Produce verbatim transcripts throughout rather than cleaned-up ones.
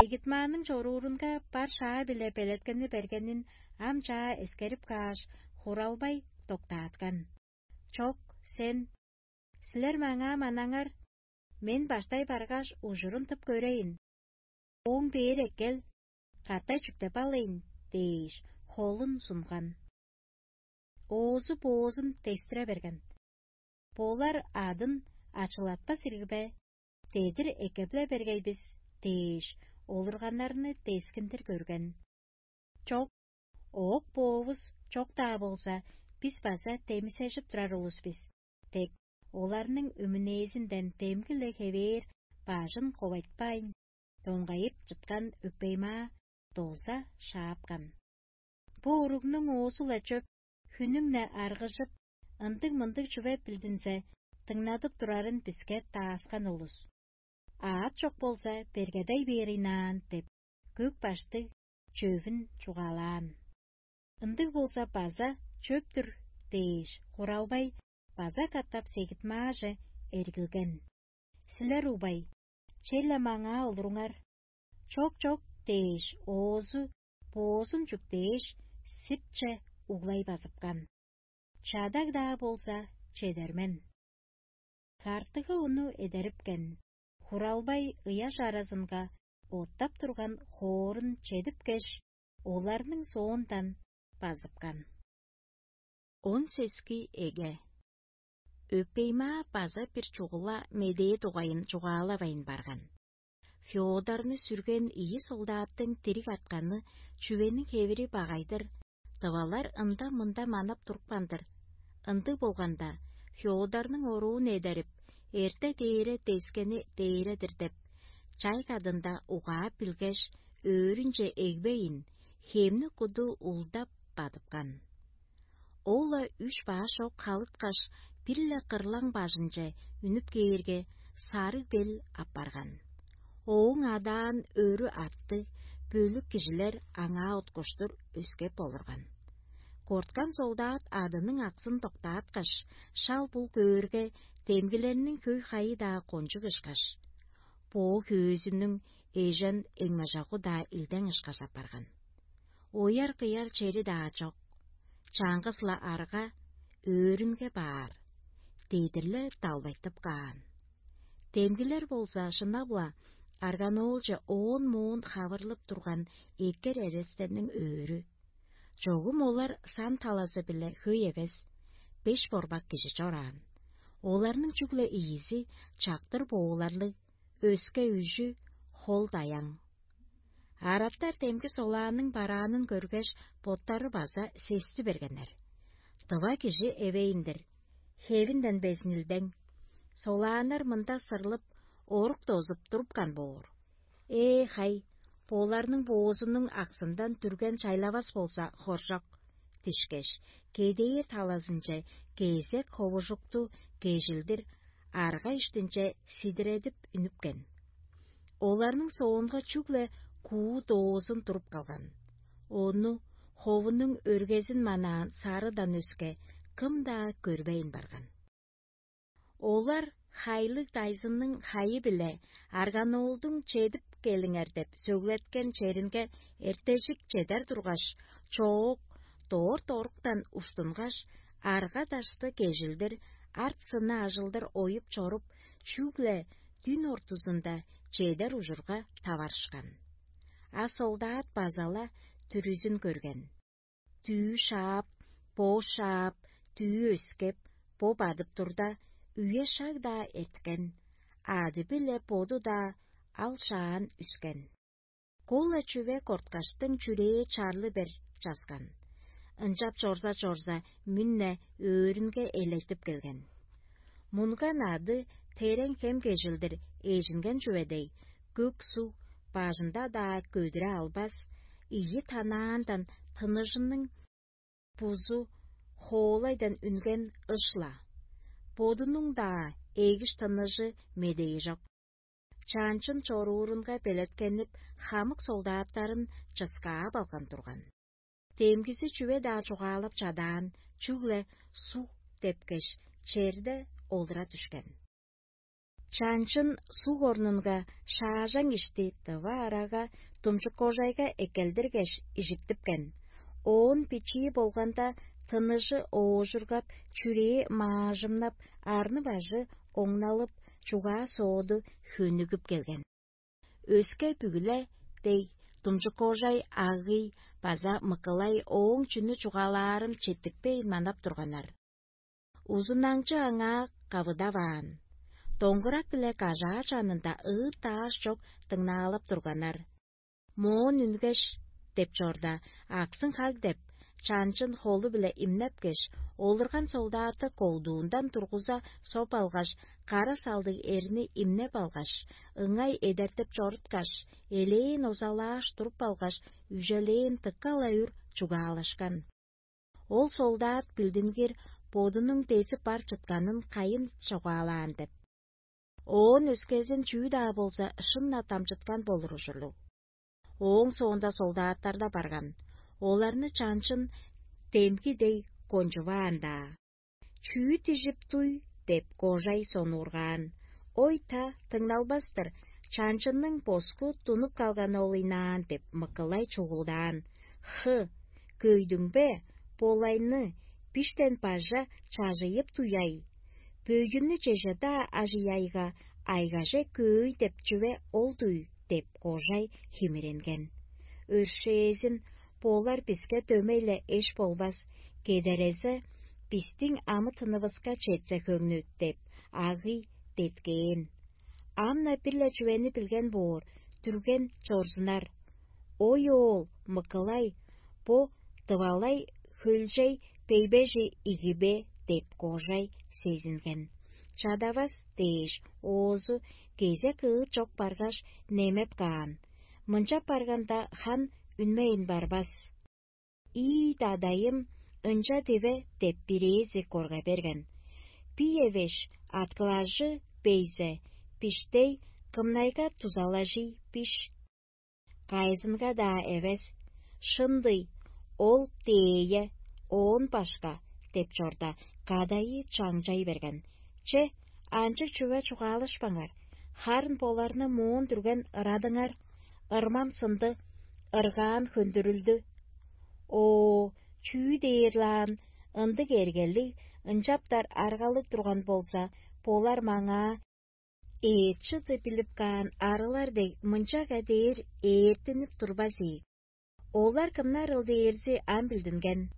Эгитманның чоруурунга бар шаа-биле белеткени бергенин ам чаа эскерип кааш, хуралбай доктааткан: «Чок, сен, силер маңаа манаңар, мен баштай баргаш, ужурун тып көрейн. Ооң бээр эккел, катай чүктеп алыйн» – дээш, холун сунган. Оозу боозун дестире берген: «Болар адын ачылатпас ирги бе? Дедир эккеп-ле бергей бис» – дээш, олурганнарны дескиндир көрген. «Чок, оок-боовус чок-даа болза, бис база демисежип турар улус бис» – деп, оларның өмүнээзинден демги-ле хевээр бажын ковайтпайн, доңгайып чыткан өпеймаа доза шаапкан. Бо уругнуң оозу-ла чөп, хүннүң-не аргыжып, ындыг-мындыг чүве билдинзе, дыңнадып турарын биске дааскан улус. Аът чок болза, бергедей бээринаан деп, көк баштыг чөвүн чугаалаан. Ындыг болза база чөп-түр дээш, хуралбай база катап сегитмааже эргилген: «Силер угбай, черле маңаа олуруңар». «Чок-чок» – дээш, оозу боозун чүктээш, сиртче углай базыпкан. Чадаг-даа болза, чедермен. Картыга ону эдерипкен, хуралбай ыяш аразынга оттап турган хоорун чедипкеш, оларның соондан базыпкан. Он сески эге. Өпеймаа база бир чугула медээ дугайын чугаалавайн барган. Феодорну сүрген ийи солдаттың дириг артканы чүвениң хевири багай-дыр, тывалар ында-мында манап турупкан-дыр. Ындыг болганда, Феодорнуң оруун эдерип, эрте дээре дескени дээре-дир деп, чай кадында угаап билгеш, өөрүнче эгбейн, хемни куду улдап бадыпкан. Ол-ла үш баш ок халыткаш, бир-ле кырлаң бажынче үнүп кээрге, сарыг бел апарган. Ооң адаан өрү артты, бөлүк кижилер аңаа уткуштур өскеп олурган. Корткан солдат адының аксын доктааткаш, шал-бул көөрге, демгилерниң хөй-хайы-даа кончуг ышкаш, боо хөөзүнүң эжен эңмажагу-даа илдең ышкаш апарган. Ояр-кыяр чери-даа чок, чаңгыс-ла арга өөрүнге баар, дедир-ле далбайтып каан. Демгилер болза шынап-ла арганоолче оон-моон хавырлып турган эккер эрестенниң өөрү. Чогум олар сан талазы-биле хөй эвес, беш борбак кижи чораан. Оларның чүгле ийизи чактыр бооларлыг, өске үжү хол-даяң. Арабтар демги солааның бараанын көргеш, боттары база сести бергеннер. Тыва кижи эвейн-дир, хевинден безин илдең. Солааннар мында сырлып, орук дозуп турупкан боор. Ээ, хай, боларның боозунуң аксындан дүрген чайлавас болза, хоржок дишкеш, кедээр талазынче кезек ховужукту кежилдир арга иштинче сидиредип үнүпкен. Оларның соонга чүгле куу доозун туруп калган. Ону ховунуң өргезин манаан сарыдан өске кым-даа көрбейн барган. Олар хайлыг дайзынның хайы-биле арганоолдуң чедип келиңер деп сөглеткен черинге эртежик чедер тургаш, чоок, дорт оруктан уштунгаш, арга-дашты кежилдир, арт-сынны ажылдыр оюп чоруп, чүгле дүн ортузунда чедер ужурга таварышкан. А солдат база-ла дүрүзүн көрген. Дүъ шаап, бо шаап, дүъ өскеп, бо бадып турда, үе шаг-даа эрткен, ады-биле боду-даа ал шаан үскен. Кол-ла чүве корткаштың чүрээ чарлы бер часкан. Ынчап чорза-чорза, мүн-не өөрүнге элертип келген. Мунган ады терең хем кежилдир эжинген чүве дег, көк суг бажында-даа көдүре албас, ийи танаандан тыныжының бузу хоолайдан үнген ыш-ла. Бодунуң-даа эгиш тыныжы медейи чок. Чаанчын чоруурунга белеткенип, хамык солдаттарын чыскаап алган турган. Демгизи чүве-даа чугаалап чадаан, чүгле суг депкеш, черде олура дүшкен. Чанчын суг орнунга шаажаң ишти тыва арага думчуккожайга эккелдиргеш, ижиттипкен. Оон бичии болганда, тыныжы оожургап, чүрээ маажымнап, арны-бажы оңналып, чугаа-сооду хөнүгүп келген. Өске бүгү-ле дег, думчуккожай, агый база мыкылай ооң чүнү чугаалаарын четтикпейн манап турганнар. Узунаңчы аңаа кавыдаваан. Доңгурак-биле кажаа чанында ыыт-даш чок дыңнаалап турганнар. Моон үнгеш, деп чорда, аксын хаг деп, чанчын холу-биле имнепкеш, олурган солдатты колдуундан тургуза соп алгаш, кара салдыг эрни имнеп алгаш, ыңай эдертип чоруткаш, элээн озалааш туруп алгаш, үжелээн дыка-ла үр чугаалашкан. Ол солдат билдингир бодунуң дезип бар чытканын кайын чугаалаан деп. Оон өскезин чүү-даа болза шын-на дамчыткан болур ужурлуг. Ооң соонда солдаттар-даа барган, оларны чанчын демги дег кончуваан-даа. «Чүү дижип туй?» — деп кожай сонуургаан. «Ой-та, дыңналбас-тыр, чанчынның боску тунуп калганы ол ыйнаан» — деп мыкылай чугулдаан. «Хы, көйдүң бе? Болайны, биштен бажа чажыйып туй-ай? Бөйгүннү чеже-даа ажыяйга, айгаже көөй деп чүве ол-дуй?» — деп кожай химиренген. «Өршээзин, болар биске дөмей-ле эш болбас, кедерезе, бистиң амы-тынывыска четсе хөңнү» — деп, агый деткээн. Ам-на бир-ле чүвени билген боор, дүрген чорзунар. «Ой, оол, мыкылай, бо дывалай хөлчей бейбежи игибе» — деп кожай сезинген. «Чадавас» — дээш, оозу кезек ыыт чок баргаш, немеп каан. Мынчап барганда, хан үнмейн барбас. «Ии, дадайым, ынча диве» — деп бирээзи корга берген. «Бий эвеш, аткылажы бейзе, биштей, кымнайга дузалажый биш? Кайызынга-даа эвес. Шын-дый, ол дээе, оон башка» — деп чорда, кадайы чаңчай берген. «Че, анчыг чүве чугаалашпаңар, харын боларны моон дүрген ырадыңар. Ырмам сынды, ыргаан хөндүрүлдү. О, чүү дээр-лаан, ындыг эргелиг, ынчаптар аргалыг турган болза, болар маңаа эът-чыды билип каан арылар дег мынчага дээр ээртинип турбас ийик. Олар кымнарыл дээрзи ам билдинген.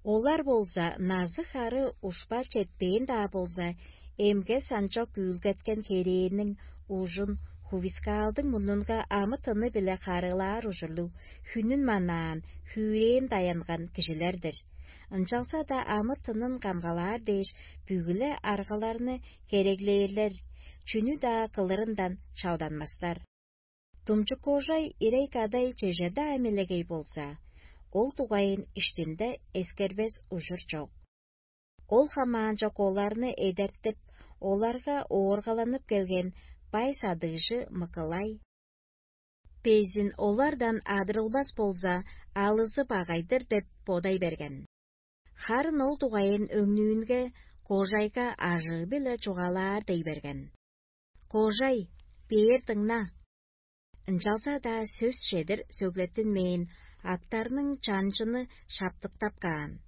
Олар болза назы-хары ушпа четпээн-даа болза, эмге санчок үүлгеткен херээниң ужун хувискаалдың мурнунга амы-тыны-биле харыылаар ужурлуг, хүнүн манаан, хүрээн даянган кижилер-дир. Ынчалза-даа амы-тынын камгалаар дээш, бүгү-ле аргаларны хереглээрлер, чүнү-даа кылырындан чалданмастар. Думчуккожай ирей-кадай чеже-даа мелегей болза, ол дугайын иштинде эскербес ужур чок. Ол хамаанчок оларны эдертип, оларга ооргаланып келген бай садыгжы Мыкылай: «Безин олардан адырылбас болза, алызы багай-дыр» — деп бодай берген. Харын ол дугайын өңнүүнге кожайга ажыы-биле чугаалаар дей берген. «Кожай, бээр дыңна. Ынчалза-даа сөс чедир сөглеттинмээн, актарның чанчыны шаптыктап каан.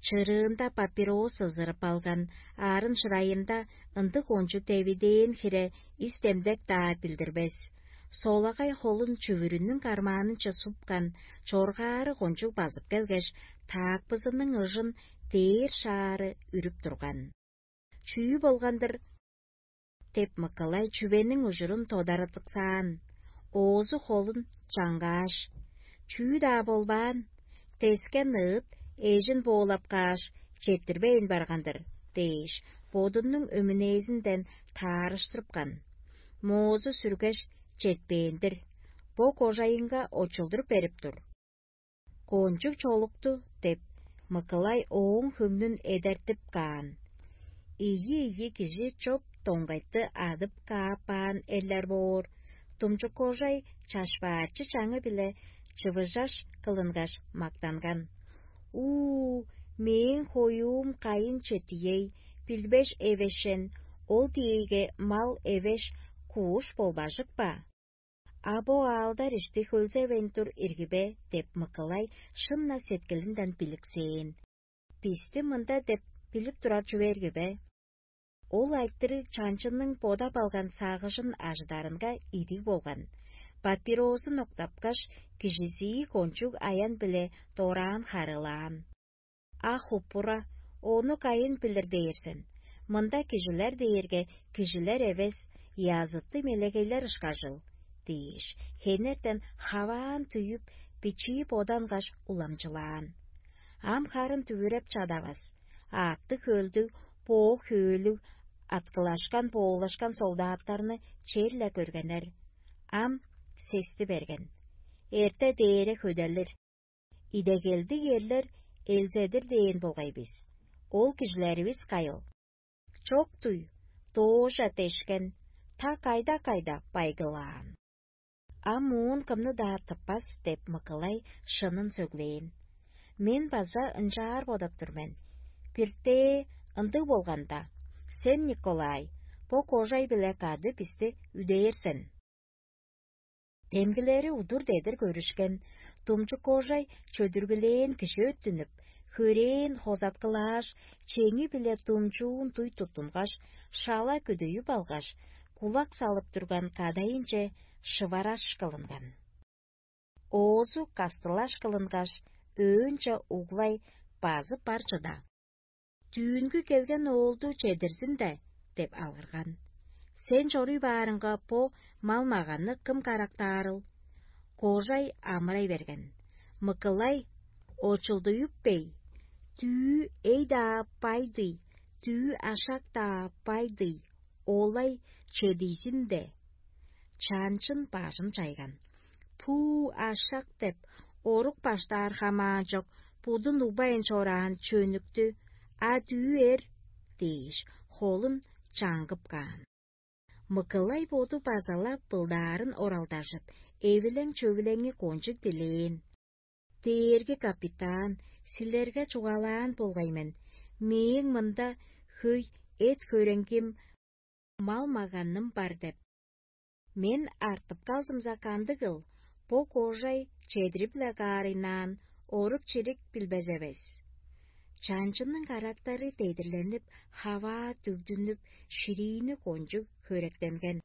Чырыында папирос ызырып алган, арын шырайында ындыг кончуг девидээн хире ис-демдек-даа билдирбес. Солагай холун чүвүрүнүң кармаанынче супкан, чоргаары кончуг базып келгеш, таакпызының ыжын дээр шаары үрүп турган. Чүү болган-дыр?» — деп Мыкылай чүвениң ужурун тодарадыксаан. Оозу холун чаңгааш: «Чүү-даа болбаан, тескен ыыт эжин боолап кааш, четтирбейн барган-дыр» — дээш, бодунуң өмүнээзинден таарыштырыпкан. Моозу сүргеш, четпээн-дир. Бо кожайынга очулдуруп берип тур. «Кончуг чолукту» — деп, Мыкылай ооң хөңнүн эдертип каан. Ийи-ийи кижи чоп доңгайтты адып каапаан эрлер боор, думчук кожай чашпаачы чаңы-биле чывыжаш кылынгаш мактанган: «У-у, мээң хоюум кайын четией, билбеш эвешен, Ол диэйге мал эвеш кууш болбажык ба? А бо аалдар ишти хөлзевейн тур ирги бе?» — деп Мыкылай шын-на сеткилинден биликсээн. «Бисти мында деп билип турар чүве ирги бе?» Ол айтырыг чанчынның бодап алган сагыжын ажыдарынга идиг болган. Папирозун октапкаш, кижизии кончуг аян-биле дораан харыылаан: «А хупура, ону кайын билир дээр сен? Мында кижилер дээрге кижилер эвес, языты мелегейлер ышкажыл» — дээш, хенертен хаваан түйүп, бичии бодангаш уламчылаан. Ам харын дүвүреп чадавас, аъттыг-хөлдүг, боок-хөөлүг, аткылашкан-боолашкан солдаттарны черле көргеннер. Ам сести берген: «Эрте дээре хөделир. Идегелдиг эрлер элзедир дээн болгай бис. Ол кижилеривис кайыл? Чок-туй, доожа дешкен, та кайда-кайда байгылаан». «Ам моон кымны-даа тыппас» — деп Мыкылай шынын сөглээн. «Мен база ынчаар бодап тур мен. Биртээ ындыг болганда, сен, Николай, бо кожай-биле кады бисти үдээр сен». Демгилери удур-дедир көрүшкен, думчук кожай чөдүргүлээн кижи өттүнүп, хөрээн хозаткылааш, чеңи-биле думчуун дуй туттунгаш, шала күдүйүп алгаш, кулак салып турган кадайынче шывараш кылынган. Оозу кастылаш кылынгаш, өөнче углай базып бар чыда: «Дүүнгү келген оолду чедирзин де» — деп алгырган. «Сен чоруй баарыңга, бо мал-маганны кым карактаарыл?» Кожай амырай берген. Мыкылай очулдуюп бей: «Дүү эй-даа бай-дый, дүү ашак-даа бай-дый, олай чедийзин де». Чанчын бажын чайган: «Пуу, ашак деп, орук баштаар хамаан чок, будун угбайн чораан чөнүктү, а дүү эр» — дээш, холун чаңгып каан. Мыкылай боду база-ла былдаарын оралдажып, эвилең-чөвүлеңи кончуг дилээн: «Дээрги капитан, силерге чугаалаан болгай мен, мээң мында хөй эт-хөреңгим, мал-маганым бар деп. Мен артып калзымза кандыгыл, бо кожай чедирип-ле каарыйнаан, орук-чирик билбес эвес». Чанчынның карактары дедирленип, хаваа дүгдүнүп, шириини кончуг хөректенген.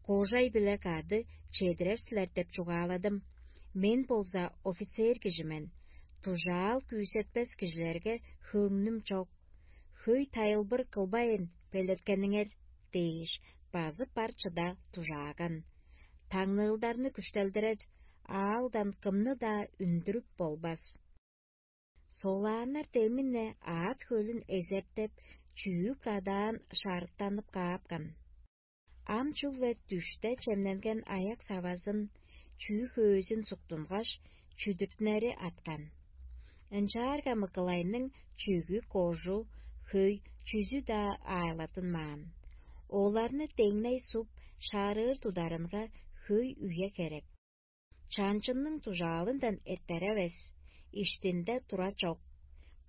«Кожай-биле кады чедирер силер деп чугааладым. Мен болза офицер кижи мен. Дужаал күүсетпес кижилерге хөңнүм чок. Хөй тайылбыр кылбайн белеткениңер» — дээш, базып бар чыда дужааган. «Таңныылдарны күштелдирер, аалдан кымны-даа үндүрүп болбас. Солааннар демин-не аът-хөлүн эзертеп, чүү кадаан шарыктанып каапкан. Ам чүгле дүште чемненген аяк-савазын, чүү-хөөзүн суктунгаш, чүдүртүнери аткан. Ынчаарга Мыкылайның чүгү, кожу, хөй чүзү-даа аайлаттынмаан. Оларны деңней суп, шаарыыр тударынга хөй үе херек. Чанчынның дужаалындан эртер эвес, иштинде тура чок.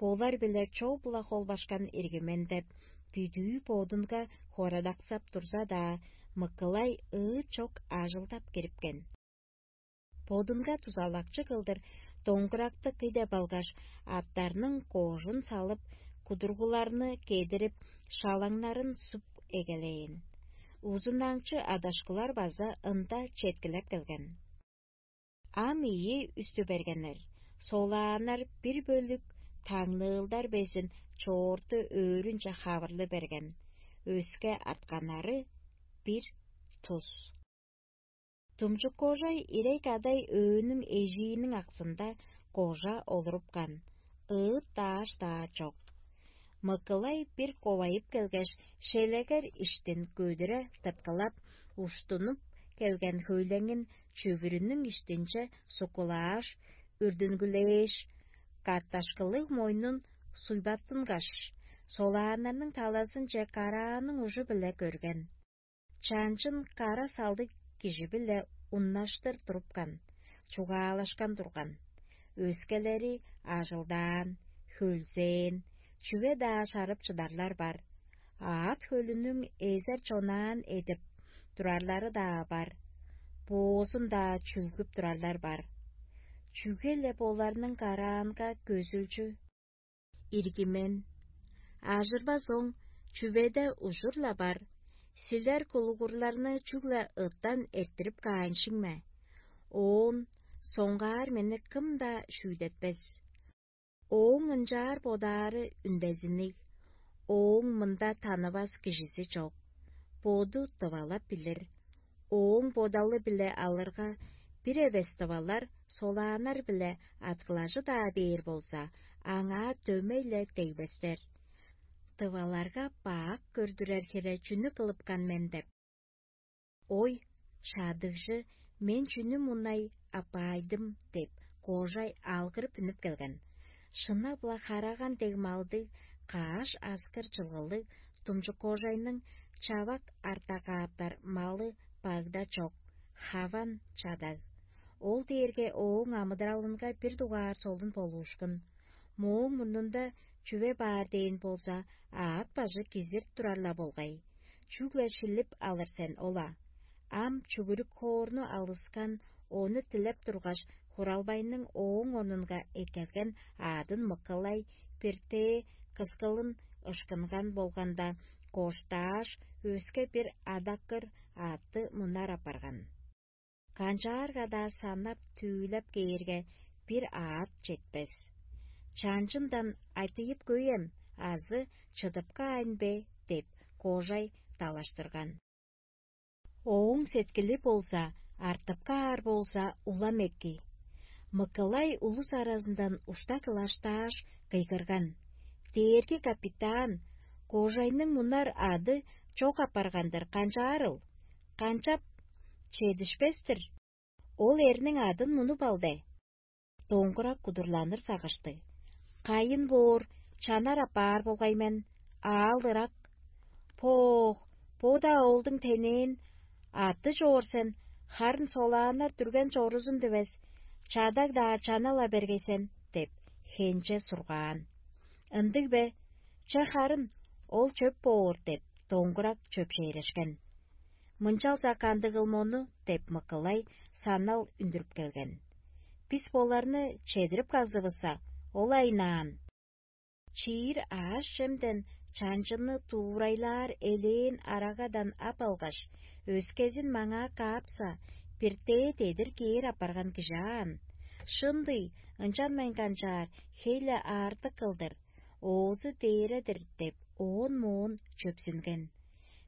Болар-биле чоо-була холбашкан ирги мен» — деп, бүдүү бодунга хорадаксап турза-даа, Мыкылай ыыт чок ажылдап кирипкен. Бодунга дузалакчы кылдыр доңгуракты кый деп алгаш, аттарның кожун салып, кудургуларны кедирип, шалаңнарын суп эгелээн. Узунаңчы адашкылар база ында четкилеп келген. Ам ийи үстү бергеннер. Солааннар бир бөлүк таңныылдар безин чоорту өөрүнче хавырлы берген, өске артканнары бир тус. Думчук кожай ирей кадай өөнүң эжииниң аксында кожа олурупкан, ыыт-даш-даа чок. Мыкылай бир ковайып келгеш, шелегер иштин көдүре тырткылап, уштунуп келген хөйлеңин чүвүрүнүң иштинче суккулааш, үрдүнгүлээш, катташкылыг мойнун суйбаттынгаш, солааннарның талазынче карааның ужу-биле көрген. Чанчын кара салдыг кижи-биле уннаштыр турупкан, чугаалашкан турган. Өскелери ажылдаан, хөлзээн, чүве-даа шарып чыдарлар бар. Аът хөлүнүң эзер чонаан эдип турарлары-даа бар, боозун-даа чүлгүп турарлар бар. Чүге-ле боларның караанга көзүлчү ирги мен. Ажырбас оң чүведе ужур-ла бар. Силер кулугурларны чүгле ыттан эрттирип кааншың ме? Оон соңгаар мени кым-даа шүүдетпес. Ооң ынчаар бодаары үндезинниг. Ооң мында танывас кижизи чок. Боду дывалап билир. Ооң бодалы-биле алырга, бир эвес дывалар солааннар-биле аткылажы-даа бээр болза, аңаа дөмей-ле дегбестер. Дываларга бак көрдүрер хире чүнү кылыпкан мен деп. Ой, шаадыгжы, мен чүнү мунай апаайдым деп, кожай алгырып үнүп келген. Шына-була хараган дег малдыг, кааш аскыр чылгылыг тумчук кожайның чавак артагааптар малы багда чок, хаван чадаг. Ол дээрге ооң амыдыралынга бир дугаар солун болуушкун. Мооң мурнунда чүве баар дээн болза, аът бажы кизир турар-ла болгай. Чүгле шилип алыр сен ол-а. Ам чүгүрүк хоорну алыскан, ону дилеп тургаш, хуралбайның ооң орнунга эккелген аадын мыкылай, биртээ кыскылын ышкынган болганда, коштааш, өске бир адаккыр аътты мунар апарган. Канчаарга-даа санап-түүлеп кээрге, бир аът четпес. Чанчындан айтыйып көйем азы чыдып каайн бе деп, кожай далаштырган. Ооң сеткили болза, артып каар болза, улам эки. Мыкылай улус аразындан ушта кылаштааш, кыйгырган: «Дээрги капитан, кожайның мунар ады чок апарган-дыр, канчаарыл? Канчап чедишпес-тир? Ол эрниң адын мунуп алде». Доңгурак кудурланыр сагышты: «Кайын боор, чанар апаар болгай мен, аал ырак». «Поох, бо-даа олдуң тенээн, аты чоор сен, харын солааннар дүрген чорузун дивес, чадаг-даа чана-ла бергей сен» — деп, хенче сургаан. «Ындыг бе? Че харын, ол чөп боор» — деп, доңгурак чөпшээрешкен. «Мынчалза кандыгыл мону?» — деп, Мыкылай санал үндүрүп келген. «Бис боларны чедирип кагзывысса, ол айнаан. Чиир аъш-чемден чанчынны дуурайлаар элээн арагадан ап алгаш, өскезин маңаа каапса, биртээ дедир кээр апарган кижи аан. Шын-дый, ынчанмайн канчаар, хей-ле аартык кылдыр, оозу дээре-дир» — деп, оон-моон чөпсүнген.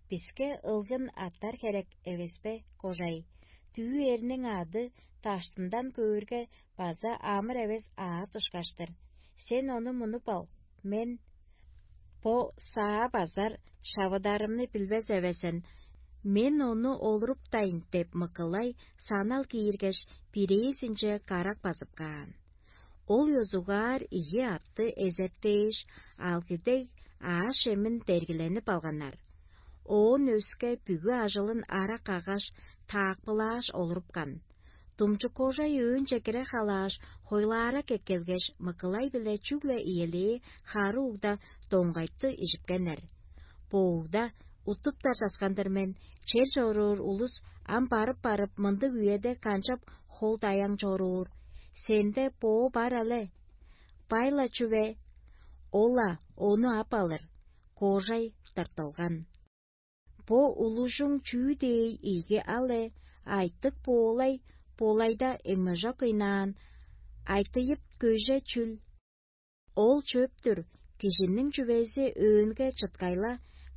«Биске ылгын аттар херек эвес бе, кожай? Дүъ эрниң ады даштындан көөрге база амыр эвес аът ышкаш-тыр. Сен ону мунуп ал, мен бо саа базар шавыдарымны билбес эвес мен, мен ону олуруптайн» — деп, Мыкылай санал кииргеш, бирээзинче карак базып каан. Ол ёзугаар ийи атты эзертээш, алгы дег аъш-чемин дергиленип алганнар. Оон өске бүгү ажылын ара каггаш, таакпылааш олурупкан. Думчук-кожай өөнче кире халааш, хойлаарак эккелгеш, Мыкылай-биле чүгле иелээ хары угда доңгайтты ижипкеннер. «Бо угда уттуптар часкан-дыр мен, чер чоруур улус ам барып-барып мындыг үеде канчап хол-даяң чоруур? Сенде боо бар але? Бай-ла чүве, ол-ла ону ап алыр». Кожай тыртылган. «Бо улужуң чүү дээй ийги але, айтык боолай, болайда эңмежок ыйнаан, айтыйып көже чүл? Ол чөп-түр, кижиниң чүвези өөнге чыткайла,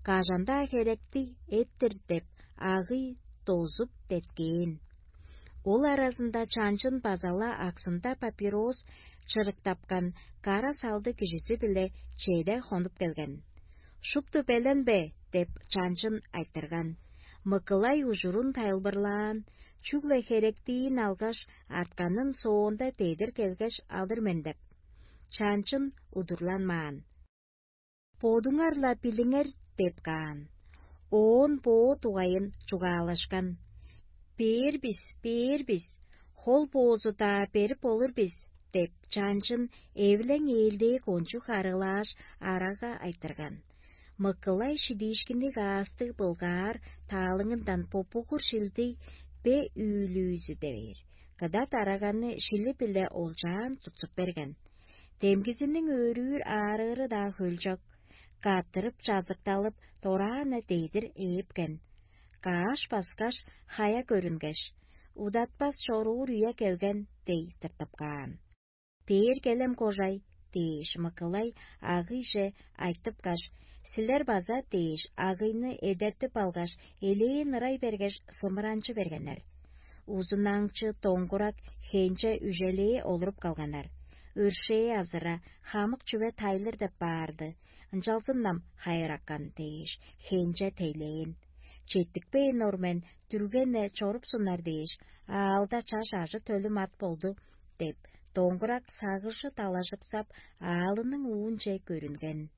кажан-даа херекти эттир» — деп, агый дозуп деткээн. Ол аразында чанчын база-ла аксында папирос чырыктапкан кара салды кижизи-биле чеде хонуп келген. «Шупту белен бе?» — деп, чанчын айтырган. Мыкылай ужурун тайылбырлаан: «Чүгле херектиин алгаш, артканын соонда дедир келгеш алыр мен» — деп. Чанчын удурланмаан. «Бодуңар-ла билиңер» — деп каан. Оон боо дугайын чугаалашкан. «Бээр бис, бээр бис, хол боозу-даа берип болур бис» — деп, чанчын эвилең ээлдээ кончуг арыылааш, арага айтырган. Мыкылай шидиишкинниг аастыг былгаар таалыңындан попугур шилдиг бе үүлүүзү дээр, кыда дараганы шили-биле олчаан тутсуп берген. Демгизиниң өөрүүр аарыыры-даа хөлчок, каттырып чазыкталып, дораан-на дедир ээпкен. Кааш баскаш, хая көрүнгеш, удатпас чоруур үе келген дей тыртып каан. Бээр келем кожай дээш, Мыкылай агыйже айтыпкаш: «Силер база» дээш, агыйны эдертип алгаш, элээн ырай бергеш, сымыранчы бергеннер. Узунаңчы доңгурак хенче үжелээ олуруп калганнар. Өршээ азыра, хамык чүве тайлыр деп баарды, ынчалзын-нам хайыраккан дээш, хенче тейлээн. Четтикпейн ор мен, дүргене чорупсуннар дээш, аалда чаш ажы-төлүм ат болду деп, доңгурак сагыжы далажыксап, аалының уунче көрүнген.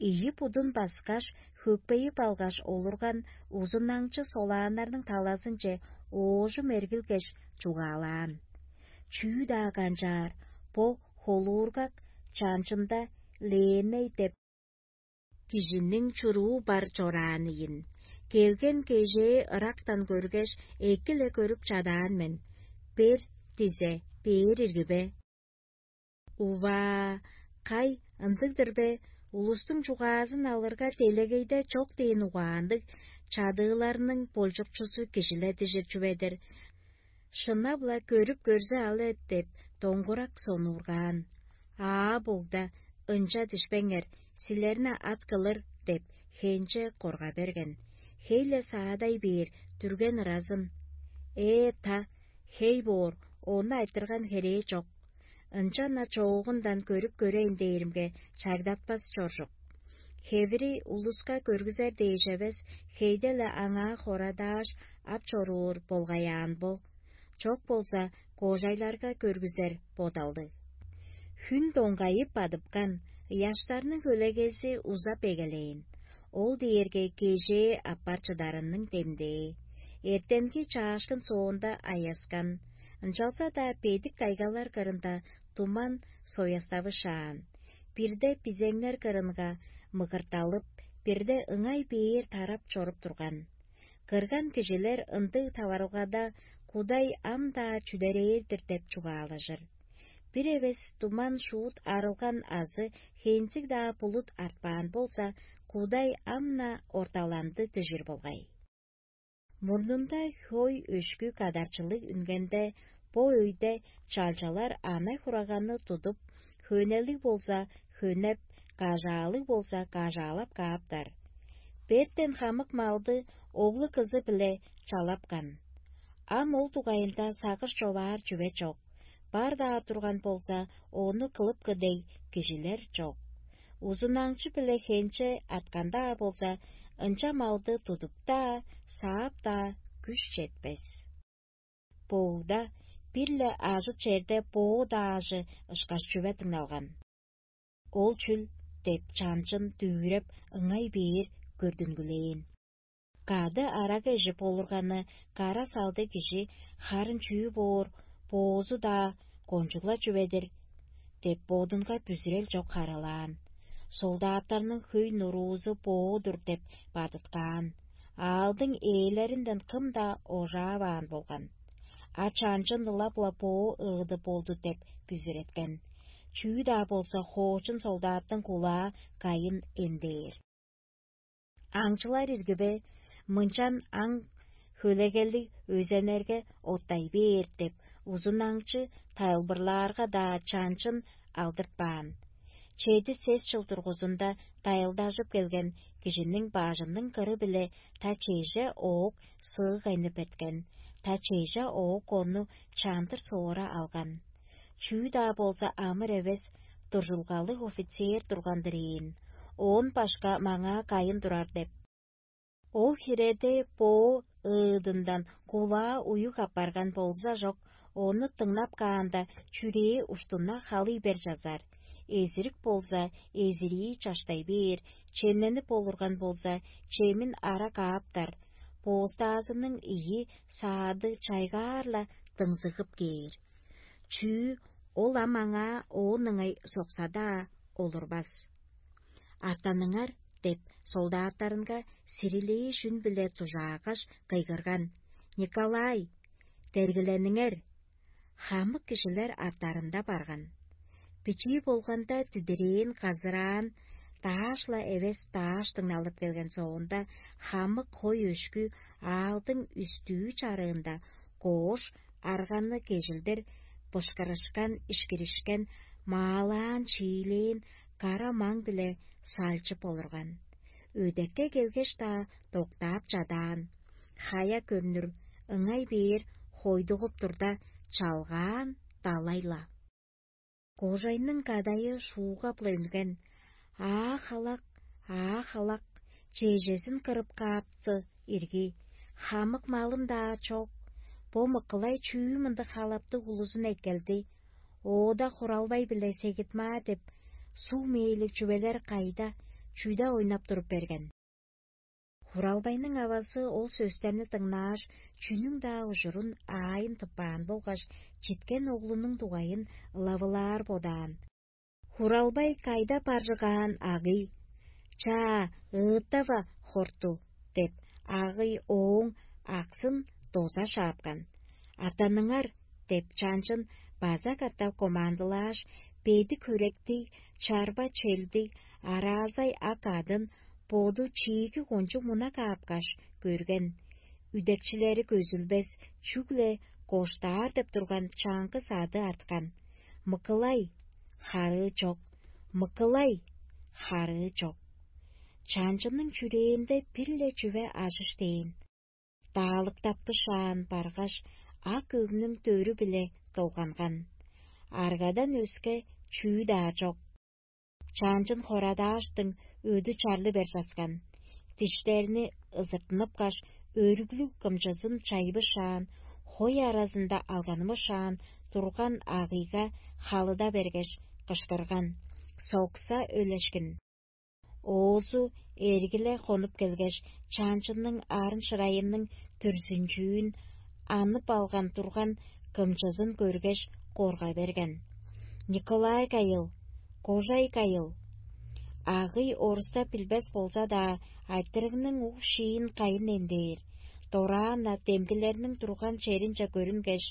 Ийи будун баскаш, хөкпейип алгаш олурган узунаңчы солааннарның талазынче оожум эргилгеш, чугаалаан: «Чүү-даа канчаар, бо холуургак чанчында Леемей деп кижиниң чуруу бар чораан ийин. Келген кежээ ырактан көргеш, эки-ле көрүп чадаан мен. Бер дизе, бээр ирги бе?» «Уваа, кай, ындыг-дыр бе? Улустуң чугаазын алырга, делегейде чок дээн угаанныг чадыыларның болчукчузу кижи-ле дижир чүве-дир. Шынап-ла көрүп көрзе ал эт» — деп, доңгурак сонуургаан. «Аа, богда, ынча дишпеңер, силерни ат кылыр» — деп, хенче корга берген. Хей-ле саадай бээр, дүрген ыразын. «Ээ, та, хей боор, ону айтырган херээ чок. Ынчан-на чоогундан көрүп көрейн дээримге, чагдатпас чоржук. Хевири улуска көргүзер дээш эвес, хейде-ле аңаа хорадааш, ап чоруур болгай аан бо. Чок болза, кожайларга көргүзер бодалдыг». Хүн доңгайып бадыпкан, ыяштарның хөлегези узап эгелээн. Ол дээрге кежээ аппар чыдарының демдээ. Эртенги чаашкын соонда аяскан, ынчалза-даа бедик тайгалар кырында туман сояставышаан. Бирде бизеңнер кырынга мыгырталып, бирде ыңай бээр тарап чоруп турган. Кырган кижилер ындыг таварылгада Кудай ам-даа чүдерээр-дир деп чугаалажыр. Бир эвес туман шуут арылган азы хензиг-даа булут артпаан болза, Кудай ам-на орталанды дижир болгай. Мурнунда хой өшкү кадарчылыг үнгенде, бо өйде чалчалар ана-хураганы тудуп, хөнелиг болза хөнеп, кажаалыг болза кажаалап кааптар. Бертен хамык малды оглу-кызы-биле чалапкан. Ам ол дугайында сагыш човаар чүве чок. Бар-даа турган болза, ону кылыпкы дег кижилер чок. Узунаңчы-биле хенче арткан-даа болза, ынча малды тудуп-даа, саап-даа күш четпес. Боогда бир-ле ажы черде боо даажы ышкаш чүве дыңналган. «Ол чүл?» — деп, чанчын дүвүреп, ыңай бээр көрдүнгүлээн. Кады арага эжип олурганы кара салдыг кижи: «Харын чүү боор, боозу-даа кончуг-ла чүве-дир» — деп, бодунга бүзүрел чок харыылаан. Солдаттарның хөй нуруузу боо-дур деп бадыткаан. Аалдың ээлеринден кым-даа ожааваан болган. А чанчын ылап-ла боо ыыды болду деп бүзүреткен. Чүү-даа болза, хоочун солдаттың кулаа кайын эндээр. «Аңчылар иргиве, мынчан аң хөлегелиг өзеннерге оттай бээр» — деп, узун аңчы тайылбырлаарга-даа чанчын алдыртпаан. Чеди-сес чыл дургузунда дайылдажып келген кижиниң бажының кыры-биле та чеже оок сыыгайны беткен, та чеже оок ону чандыр соора алган. Чүү-даа болза амыр эвес, дуржулгалыг офицер турган-дыр ийин. Оон башка маңаа кайын турар деп. Ол хиреде боо ыыдындан кулаа уюг апарган болза чок, ону дыңнап каанда, чүрээ уштуна халый бер чазар. Эзирик болза, эзирии чаштай бээр, чемненип олурган болза, чемин ара кааптар. Бооздаазының ийи саады чайгаар-ла дыңзыгып кээр. Чүү, ол ам аңаа оон ыңай сокса-даа олурбас. Артаныңар деп, солдаттарынга сирилээ шүн-биле дужаагаш, кыйгырган: «Николай, дергилениңер!» Хамык кижилер артарында барган. Бичии болганда дидирээн, казыраан, дааш-ла эвес дааш дыңналып келген соонда, хамык хой өшкү аалдың үстүү чарыында коош, арганы кежилдир бышкырышкан, ишкиришкен, маалаан, чиилээн кара маң-биле салчып олурган. Өдекке келгеш-даа доктаап чадаан, хая көрнүр, ыңай бээр хойдугуп турда, чалгаан далай-ла. Кожайның кадайы шуугап-ла үнген: «Аа-халак, аа-халак, чежезин кырып каапты ирги, хамык малым-даа чок. Бо мыкылай чүү мындыг халаптыг улузун эккелди? Оода хуралбай-биле сегитмаа деп, суг мээлиг чүвелер кайда, чүде ойнап туруп берген?» Хуралбайның авазы ол сөстерни дыңнааш, чүнүң-даа ужурун аайын тыппаан болгаш, читкен оглунуң дугайын ылавылаар бодаан. Хуралбай кайда баржыгаан агый: «Чаа, ыыттава, хорту!» — деп, агый ооң аксын доза шаапкан. «Атаныңар!» — деп, чанчын база катап командылааш, бедик хөректиг, чарба челдиг, араазай ак адын боду чииги кончуг муна каапкаш, көрген. Үдекчилери көзүлбес, чүгле коштаар деп турган чаңгыс ады арткан. «Мыкылай!» — харыы чок. «Мыкылай!» — харыы чок. Чанчының чүрээнде бир-ле чүве ажыш дээн. Даалыктапкышаан баргаш, ак өгнүң дөрү-биле долганган. Аргадан өске чүү-даа чок. Чанчын хорадааштың өдү чарлы бер часкан. Диштерни ызыртыныпкаш, өрүглүг кымчызын чайбышаан, хой аразында алганмышаан турган агыйга халыда бергеш, кыштырган: «Сокса өлешкин!» Оозу эргиле хонуп келгеш, чанчынның арын-шырайының дүрзүнчүүн анып алган турган кымчызын көргеш, корга берген: «Николай кайыл, кожай кайыл!» Агый орустап билбес болза-даа, айтырыгның уг-шиин кайын эндээр, дораан-на демгилерниң турган черинче көрүнгеш,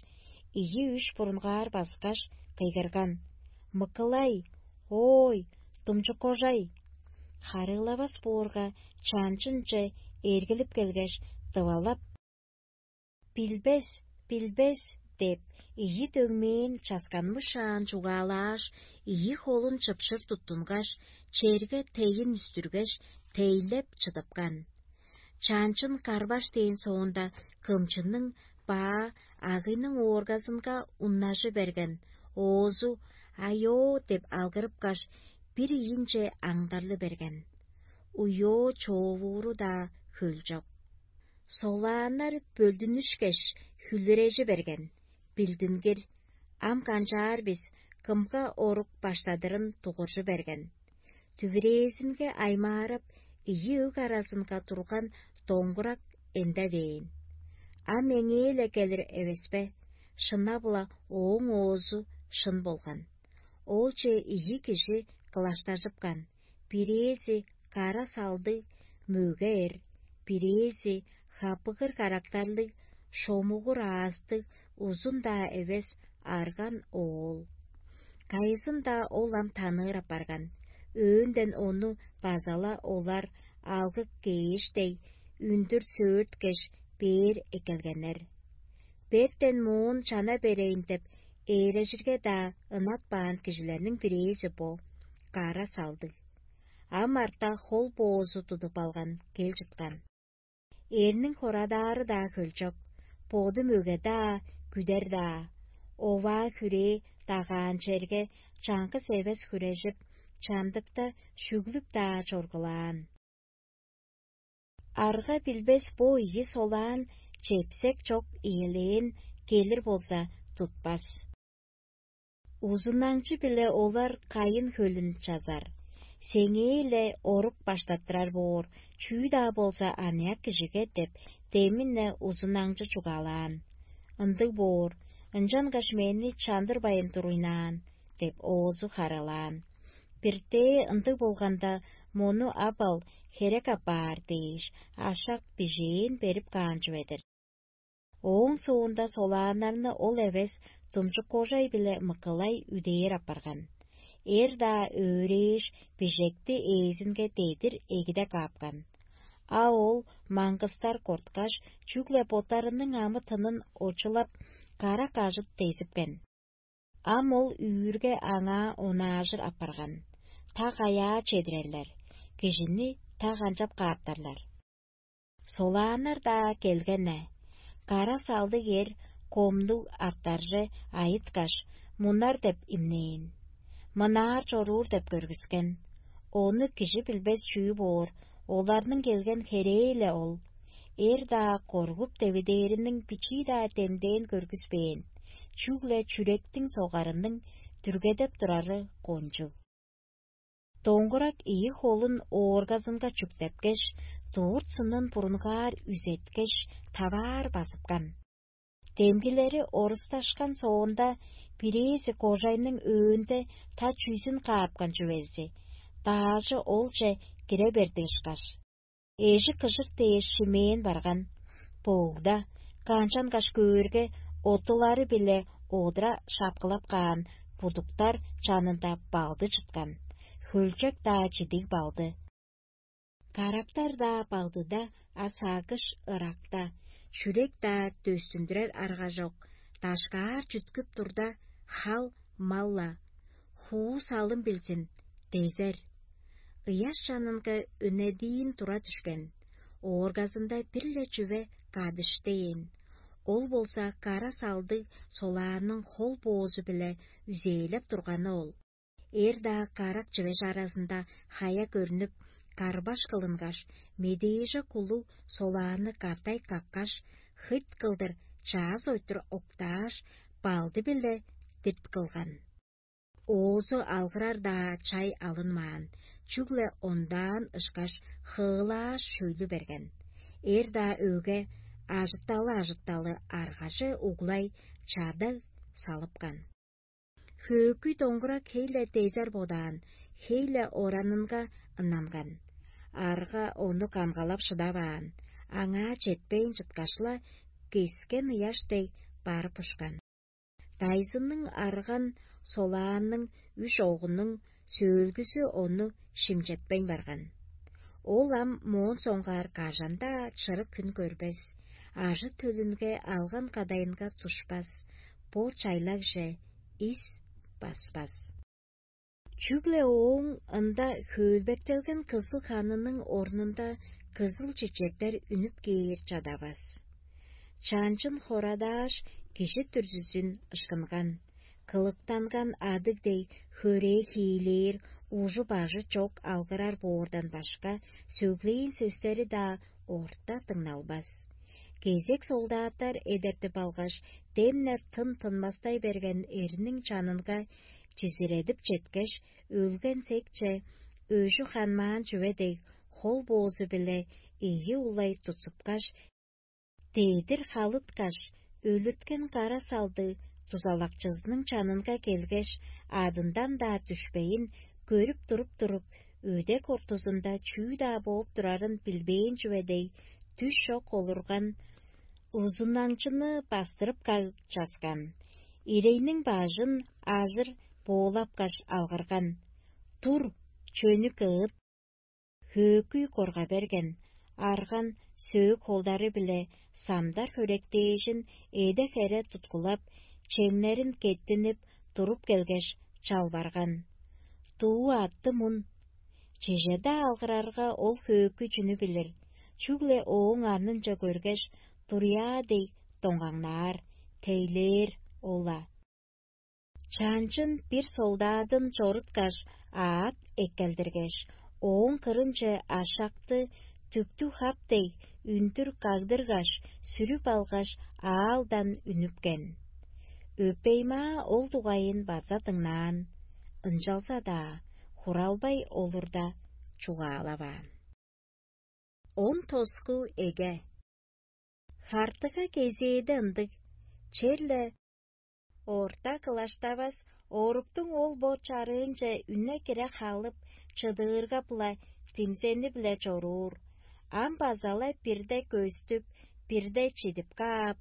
ийи-үш бурунгаар баскаш, кыйгырган: «Мыкылай! Оой, думчук кожай!» Харыылавас боорга, чанчынче эргилип келгеш, дывалап: «Билбес, билбес!» — деп, ийи дөңмээн часканмышаан чугаалааш, ийи холун чыпшыр туттунгаш, черге тейин үстүргеш, тейлеп чыдыпкан. Чанчын карбаш дээн соонда, кымчының баа агыйның ооргазынга уннажы берген, оозу «Айоо!» — деп алгырыпкаш, бир ийинче аңдарлы берген. Уйоо-човууру-даа хөлчок. Солааннар бөлдүнүшкеш, хүлүрежи берген: «Билдингир, ам канчаар бис, кымга орук баштадырын дугуржу берген». Дүвүрээзинге аймаарап, ийи өг аразынга турган доңгурак эндевээн. Ам эңээ-ле келир эвес бе? Шынап-ла, ооң оозу шын болган. Оолче ийи кижи кылаштажыпкан: бирээзи кара салдыг, мөге эр, бирээзи хапыгыр карактарлыг, шомугур аастыг, узун-даа эвес арган оол. Кайызын-даа ол ам таныыр апарган. Өөнден ону база-ла олар алгы кээш дег, үндүр сөөрткеш, бээр эккелгеннер. Бертен моон чана берейн деп, ээрежирге-даа ынатпаан кижилерниң бирээзи бо, кара салдыг. Ам арта хол боозу тудуп алган кел чыткан. Эрниң хорадаары-даа хөлчок, боду мөге-даа, күдер-даа. Оваа хүрээ дагаан черге чаңгыс эвес хүрежип, чамдыкта шүглүп-даа чоргулаан. Арга билбес бо ийи солаан чепсек чок иелээн келир болза, тутпас. Узунаңчы-биле олар кайын хөлүн чазар. Сеңээ-ле орук баштаттырар боор, чүү-даа болза аныяк кижиге деп, демин-не узунаңчы чугаалаан. Ындыг боор, ынчангаш мени чандырбайн туруйнаан деп, оозу харалаан. Биртээ ындыг болганда, мону ап ал, херек апаар дээш, ашак бижээн берип каан чүве-дир. Ооң соонда солааннарны ол эвес думчук кожай-биле мыкылай үдээр апарган. Эр-даа өөрээш, бижекти ээзинге дедир эгиде каапкан. А ол маңгыстар корткаш, чүгле боттарының амы-тынын очулап, кара кажыт дезипкен. Ам ол үүрге аңаа онаажыр апарган. Та каяа чедирерлер, кижини та канчап кааптарлар? Солааннар-даа келген-не, кара салдыг эр комнуг артарже айыткаш, мунар деп имнээн. Мынаар чоруур деп көргүскен. Ону кижи билбес чүү боор, оларның келген херээ-ле ол. Эр-даа коргуп девидээриниң бичии-даа демдээн көргүспээн, чүгле чүректиң согарының дүргедеп турары кончуг. Доңгурак ийи холун ооргазынга чүктепкеш, дурт сынын бурунгаар үзеткеш, таваар базыпкан. Демгилери орусташкан соонда, бирээзи кожайның өөнде та чүзүн каапкан чүвези, даажы олче кире берди ышкаш, эжи кыжык дээш шимээн барган. Боогда, канчангаш көөрге, оттулары-биле одура шапкылап каан будуктар чанында балды чыткан, хөлчек-даа чидиг балды. Карактар-даа балдыда, а сагыш ыракта, чүрек-даа дөстүндүрер арга чок, дашкаар чүткүп турда, хал мал-ла, хуу салым билзин, дезер. Ыяш чанынга өнедиин тура дүшкен, ооргазында бир-ле чүве кадыш дээн. Ол болза кара салдыг солаанның хол боозу-биле үзээлеп турганы ол. Эр-даа карак чүвеш аразында хая көрнүп, карбаш кылынгаш, медээже кулуг солаанны катай каккаш, хыт кылдыр чаас ойтур октааш, балды-биле дирт кылган. Оозу алгырар-даа чай алынмаан, чүгле ондаан ышкаш хыылааш шөйлү берген. Эр-даа өгге ажытталы-ажытталы аргаже углай чадаг салыпкан. Хөөкүй доңгурак хей-ле дезер бодаан, хей-ле оранынга ыннанган. Арга ону камгалап шыдаваан, аңаа четпейн чыткаш-ла, кескен ыяш дег барып ушкан. Дайзынның арган солаанның үш оогунуң сөөлгүзү ону шимчетпейн барган. Ол ам моон соңгаар кажан-даа чырык хүн көрбес, ажы-төлүнге алган кадайынга тушпас, бо чайлагже ис баспас. Чүгле ооң ында хөөлбектелген кызыл ханының орнунда кызыл чечектер үнүп кээр чадавас. Чанчын хорадааш, кижи дүрзүзүн ышкынган, кылыктанган адыг дег хөрээ хиилээр, ужу-бажы чок алгырар боордан башка, сөглээн сөстери-даа орта дыңналбас. Кезек солдаттар эдертип алгаш, демнер тын-тынмастай берген эрниң чанынга чизиредип четкеш, өлген секче, өжү ханмаан чүве дег, хол боозу-биле ийи улай тутсупкаш, дедир халыткаш, өлүрткен кара салды дузалакчызының чанынга келгеш, адындан-даа дүшпейн, көрүп туруп-туруп, өдек ортузунда чүү-даа бооп турарын билбээн чүве дег, дүш чок олурган, узунаңчыны бастырып каып часкан, ирейниң бажын ажыр боолапкаш алгырган: «Тур, чөнү кыыт!» Хөөкүй корга берген, арган сөөк холдары-биле самдар хөректээжин эде-хере туткулап, чемнерин кеттинип, туруп келгеш, чалбарган: «Дуу атты мун». Чеже-даа алгырарга, ол хөөкүй чүнү билир, чүгле ооң арнынче көргеш, дуруяа дег доңгаңнаар, тейлээр ол-ла. Чанчын бир солдадын чоруткаш, аът эккелдиргеш, ооң кырынче ашакты түктүг хап дег үндүр кагдыргаш, сүрүп алгаш, аалдан үнүпкен. Өпеймаа ол дугайын база дыңнаан, ынчалза-даа хуралбай олурда чугаалаваан. Он тоску эге. Хартыга кезээде ындыг, черле Орта кылаштавас, оруктуң ол бо чарыынче үне-кире халып, чыдыырга-биле димзени-биле чоруур. Ам база-ла бирде көстүп, бирде чидип каап,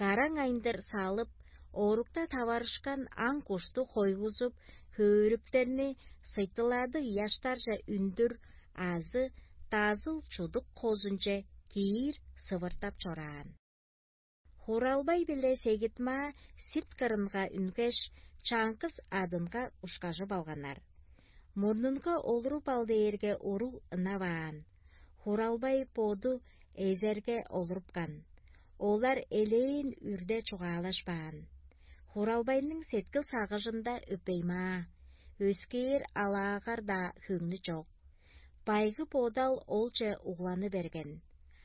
караң айындыр салып, орукта таварышкан аң-кушту хойгузуп, хөөрүптерни сыйтылады ыяштарже үндүр азы дазыл чудук хозунче киир сывыртап чораан. Хуралбай биле Сегитмаа сирт кырынга үнгеш, чаңгыс адынга ушкажып алганнар. Мурнунга олуруп ал дээрге уруг ынаваан. Хуралбай боду эзерге олурупкан. Олар элээн үрде чугаалашпаан. Хуралбайның сеткил сагыжында өпеймаа, өскээр алаагар-даа хөңнү чок. Байгы бодал олче угланы берген,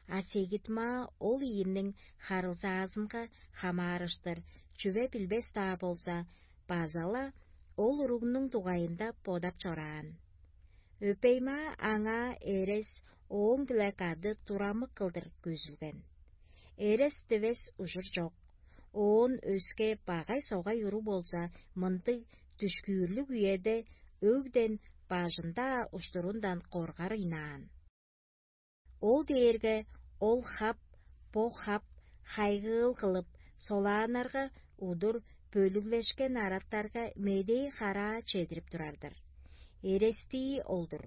а Сегитмаа ол ийинниң харылзаазынга хамаарыштыр чүве билбес-даа болза, база-ла ол уругнуң дугайында бодап чораан. Өпеймаа аңаа эрес ооң-биле кады турамык кылдыр көзүлген. Эрес дивес ужур чок. Оон өске багай-согай уру болза, мындыг дүшкүүрлүг үеде өгден бажын-даа уштурундан коргар ыйнаан. Ол дээрге ол хап, бо хап, хайгыыл кылып, солааннарга удур бөлүглешкен араттарга медээ-хараа чедирип турар-дыр. Эрестии ол-дур.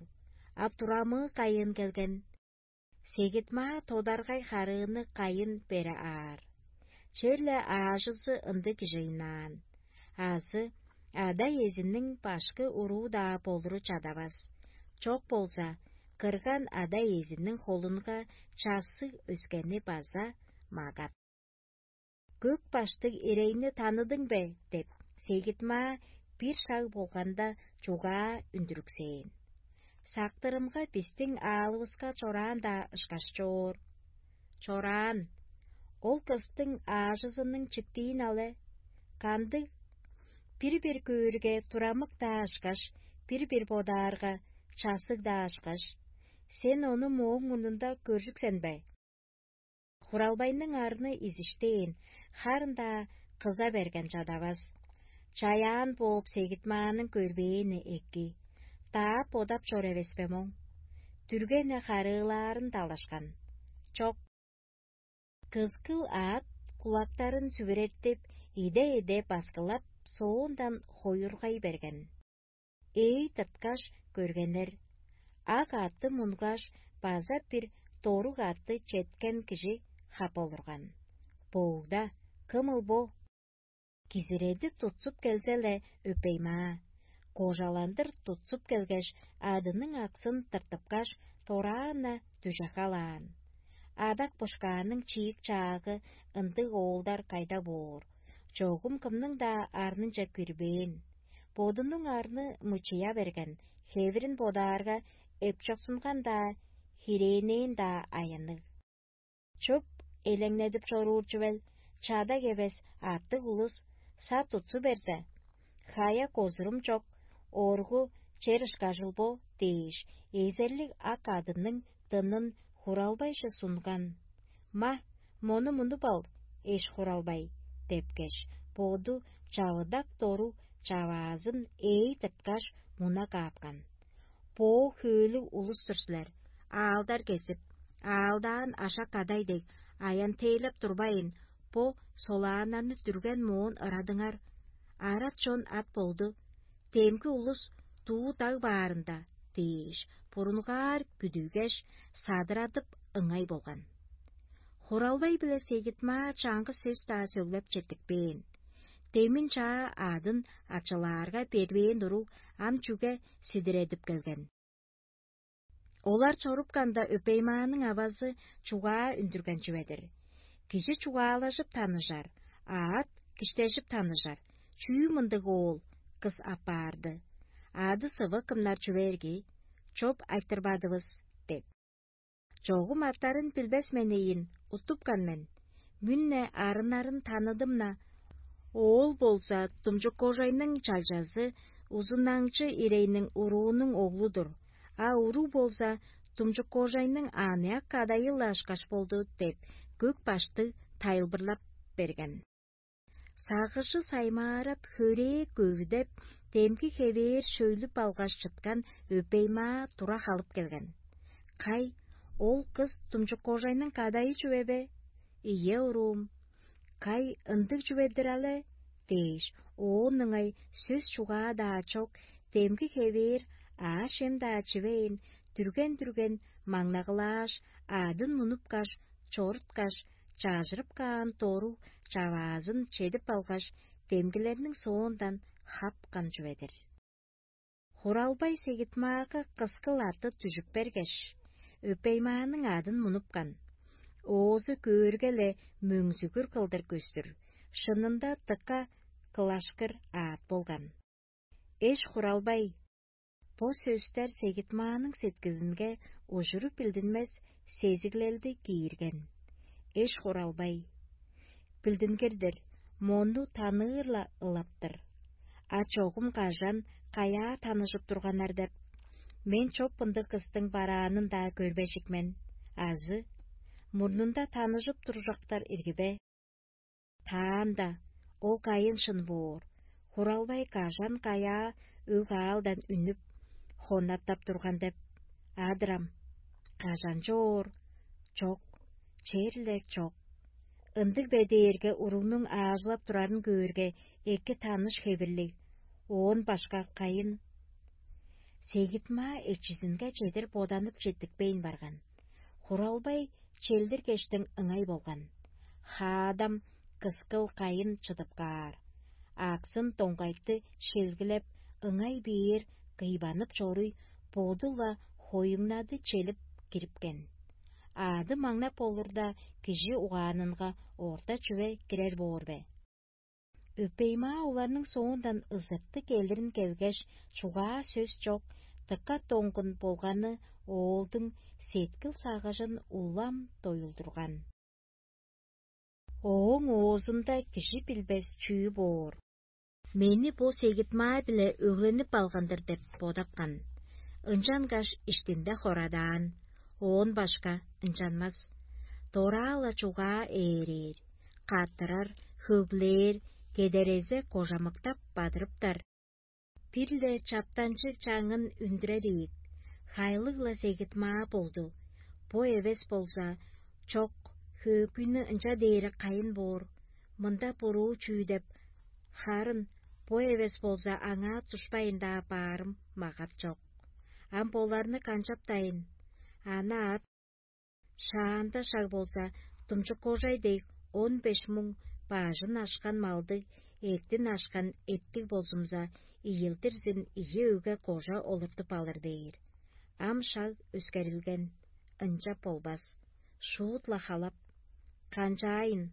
А турамыы кайыын келген? Сегитмаа тодаргай харыыны кайын бере аар. Черле аажызы ындыг кижи ыйнаан. Азы ада-иезиниң башкы уруу-даа болуру чадавас. Чок болза, кырган ада-иезиниң холунга чассыг өскени база магап. «Көк баштыг ирейни таныдың бе?» — деп, Сегитмаа бир шаг болганда чугаа үндүрүксээн. «Сактырымга бистиң аалывыска чораан-даа ышкаш чоор». «Чораан. Ол кыстың аажызының чиктиин але. Кандыг? Бир-бир көөрге, турамык-даа ышкаш, бир-бир бодаарга, чассыг-даа ышкаш. Сен ону мооң мурнунда көржүксен бе?» Хуралбайның арны изиштээн, харын-даа кыза берген чадавас. Чаяан бооп Сегитмааның көрбээни эки. Даап бодап чор эвеспе моң. Дүргени харыылаарын далашкан. Чок. Кызгыл аът кулактарын сүвүреттип, иде-иде баскылап, соондан хоюргай берген. Эй тырткаш көргеннер, ак аътты мунгаш, база бир доруг аътты четкен кижи хап олурган. «Боогда, кымыл бо?» Кизиреди тутсуп келзе-ле, өпеймаа. Кожаландыр тутсуп келгеш, адының аксын тыртыпкаш, дораан-на дүжехалаан. Адак-бошкааның чиик-чаагы ындыг оолдар кайда боор? Чогум кымның-даа арнынче кирбээн. Бодунуң арны мычыя берген, хевирин бодаарга, эпчоксунган-даа, хирээнээн-даа аянныг. Чоп элеңнедип чоруур чүвел, чадаг эвес артык улус сат утсу берзе, хая козурум чок, оргу чер ышкажыл бо дээш, эзерлиг ак адының дынын хуралбайже сунган. «Ма, мону мунуп ал, эш хуралбай» — депкеш, боду чавыдак дору чаваазын ээй тырткаш, муна каапкан. Боо хөөлүг улус-тур силер, аалдар кезип, аалдаан ашак кадай дег, аян-тээлеп турбайн, бо солааннарны дүрген моон ырадыңар. Арат чон ат болду, демги улус дуу даг баарында дээш, бурунгаар күдүгеш, садырадып ыңай болган. Хуралбай биле Сегитмаа чаңгы сөс-даа сөглеп четтикпээн. Демин чаа адын ачылаарга бербээн уруг ам чүге сидиредип келген? Олар чорупканда, Өпеймааның авазы чугаа үндүрген чүве-дир. Кижи чугаалажып таныжар, аът киштежип таныжар, чүү мындыг оол кыс апаарды? Ады-сывы кымнар чүве эрги? Чоп айтырбадывыс деп. Чогум аттарын билбес мен ийин, уттупкан мен. Мүн-не арыннарын таныдым-на. Оол болза Думчук-Кожайның чалчазы, Узунаңчы Ирейниң уруунуң оглу-дур, а уруг болза Думчук-Кожайның аныяк кадайы-ла ышкаш болду деп, көк баштыг тайылбырлап берген. Сагыжы саймаарап, хөрээ көвүдеп, демги хевээр шөйлүп алгаш чыткан өпеймаа тура халып келген. «Кай, ол кыс тумчук кожайның кадайы чүве бе?» «Ийе, уруум». «Кай, ындыг чүве-дир але?» — дээш, оон ыңай сөс-чугаа-даа чок, демги хевээр аъш-чем-даа чивейн, дүрген-дүрген маңнагылааш, аъдын мунупкаш, чоруткаш, чажырып каан доруг чаваазын чедип алгаш, демгилерниң соондан хапкан чүве-дир. Хуралбай Сегитмаага кыскыл арты дүжүп бергеш, өпеймааның аъдын мунупкан. Оозу көөрге-ле мөңзүгүр кылдыр көстүр, шынында дыка кылашкыр аът болган. «Эш Хуралбай!» Бо сөстер Сегитмааның сеткилинге ужуруп билдинмес сезиглелди киирген. «Эш Хуралбай, билдингир-дир, мону таныыр-ла ылап-тыр. А чогум кажан, каяа таныжып турганнар деп, мен чоп ындыг кыстың бараанын-даа көрбежик мен, азы мурнунда таныжып туржактар ирги бе? Таанда ол кайын шын боор, Хуралбай кажан-каяа өг-аалдан үнүп, хоннаттап турган деп. Адырам, кажан чоор? Чок, черле чок. Ындыг бе дээрге уругнуң аажылап турарын көөрге, эки таныш хевирлиг, оон башка кайын?» Сегитмаа эчизинге чедир боданып четтикпейн барган. Хуралбай челдиргештиң ыңай болган. Хаадам кыскыл кайын чыдып каар. Аксын доңгайты шелгилеп, ыңай бээр кыйбанып чоруй, боду-ла хоюңнады челип кирипкен. Аъды маңнап болурда, кижи угаанынга орта чүве кирер боор бе? Өпеймаа оларның соондан ызыртыг келирин келгеш, чугаа сөс чок, дыка доңгун болганы оолдуң сеткил-сагыжын улам доюлдурган. Ооң оозунда кижи билбес чүү боор. «Мени бо сегитмаа-биле өгленип алган-дыр» деп бодапкан. Ынчангаш иштинде хорадаан, оон башка ынчанмас. Дораа-ла чугаа ээрээр, каттырар, хөглээр, кедерезе кожамыктап бадырыптар. Бир-ле чаптанчыг чаңын үндүрер ийик, хайлыг-ла сегитмаа болду. Бо эвес болза, чок, хөөкүйнү ынча дээри кайын боор, мында буруу чүү деп, харын бо эвес болза, аңаа душпайн-даа баарым магап чок. Ам боларны канчаптайын? Ана ат шаанда шаг болза, думчуккожай дег он беш муң баажын ашкан малдыг, эъттин ашкан эттиг болзумза, ийилдирзин ийи өгге кожа олуртуп алыр дээр. Ам шаг өскерилген, ынчап болбас. Шуут-ла халап, канчаайын,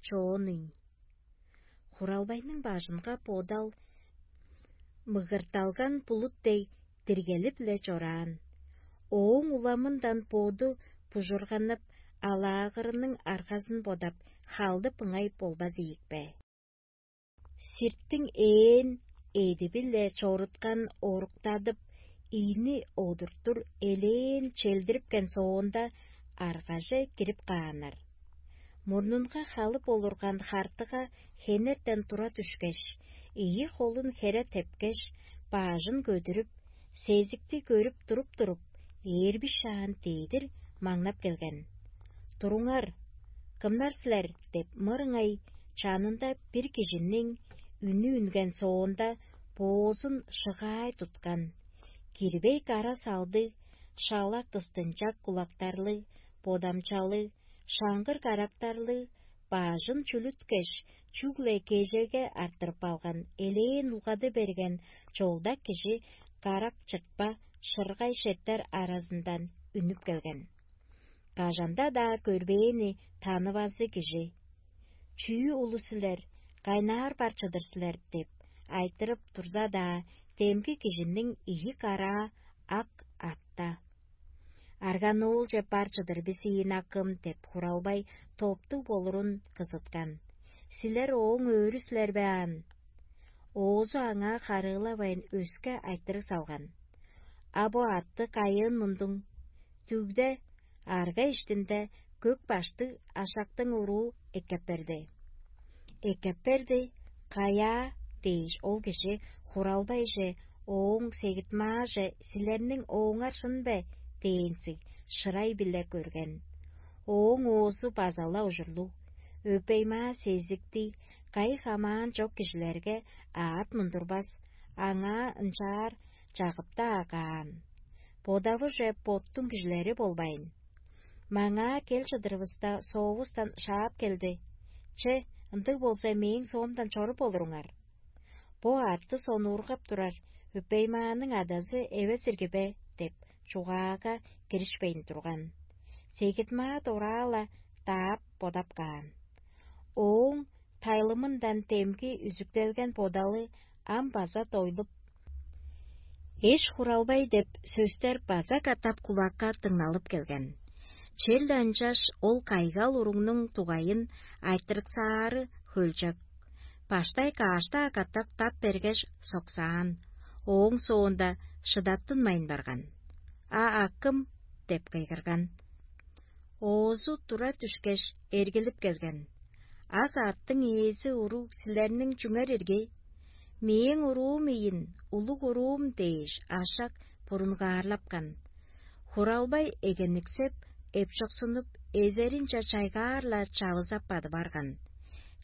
чоонуйн. Хуралбайның бажынга бодал мыгырталган булут дег диргелип-ле чораан. Ооң уламындан боду бужурганып, алаагырының аргазын бодап, халдып ыңай болбас ийик бе? Сиртиң ээн эдиби-ле чоруткан оруктадып, ийни одуртур элээн челдирипкен соонда, аргаже кирип кааннар. Мурнунга халып олурган хартыга хенертен тура дүшкеш, ийи холун хере тепкеш, баажын көдүрүп, сезикти көрүп туруп-туруп, ээрби шаан дедир маңнап келген. «Туруңар, кымнар силер?» — деп мырыңай чанында бир кижиниң үнү үнген соонда, боозун шыгаай туткан. Кирбей кара салдыг, шала кыстынчак кулактарлыг, бодамчалыг, шаңгыр карактарлыг, баажын чүлүткеш, чүгле кежеге арттырып алган элээн улгады берген чолдак кижи карак чытпа шыргай шеттер аразындан үнүп келген. Кажанда-даа көрбээни танывазы кижи: «Чүү улус силер, кайнаар бар чыдыр силер?» — деп айтырып турза-даа, демги кижиниң ийи караа ак атта. «Арганулче бар чыдыр бис ийин, акым» — деп, Хуралбай топтуг болурун кызыткан. «Силер ооң өөрү силер бе аан?» Оозу аңаа харыылавайн, өске айтырыг салган: «А бо атты кайыын мундуң? Дүгде, арга иштинде көк баштыг ашактың уруу эккеп берди. Эккеп берди, каяа дээш, ол кижи хуралбайже, ооң сегит-мааже: «Силерниң ооңар шын бе?» – дээнзиг шырай-биле көрген. Ооң оозу база-ла ужурлуг: өпей-маа сезиктиг, кайы хамаан чок кижилерге аът мундурбас, аңаа ынчаар чагып-даа каан. Бодавыже боттуң кижилери болбайн, маңаа кел чыдырывыста, соовустан шаап келди: «Че, ындыг болза, мээң соомдан чоруп олуруңар. Бо аътты сонуургап турар өпей-мааның адазы эвес ирги бе?» – деп, чугаага киришпейн турган. Сегит-маа дораала даап бодап каан. Ооң тайлымындан демги үзүктелген бодалы ам база дойлуп, «Эш-хуралбай» деп сөстер база катап кулакка дыңналып келген. Черле ынчаш ол кайгал уругнуң дугайын айтырыксаары хөлчок. Баштай каш-даа катап тап бергеш, соксаан, ооң соонда шыдаттынмайн барган. «А акым!» – деп кыйгырган. Оозу тура дүшкеш, эргилип келген. «Ак аъттың ээзи уруг силерниң чүңер ирги? Мээң уруум ийин, улуг уруум» – дээш, ашак бурунгаарлапкан. Хуралбай эгенниксеп, эпчоксунуп, эзеринче чайгаар-ла чавызап бадып арган.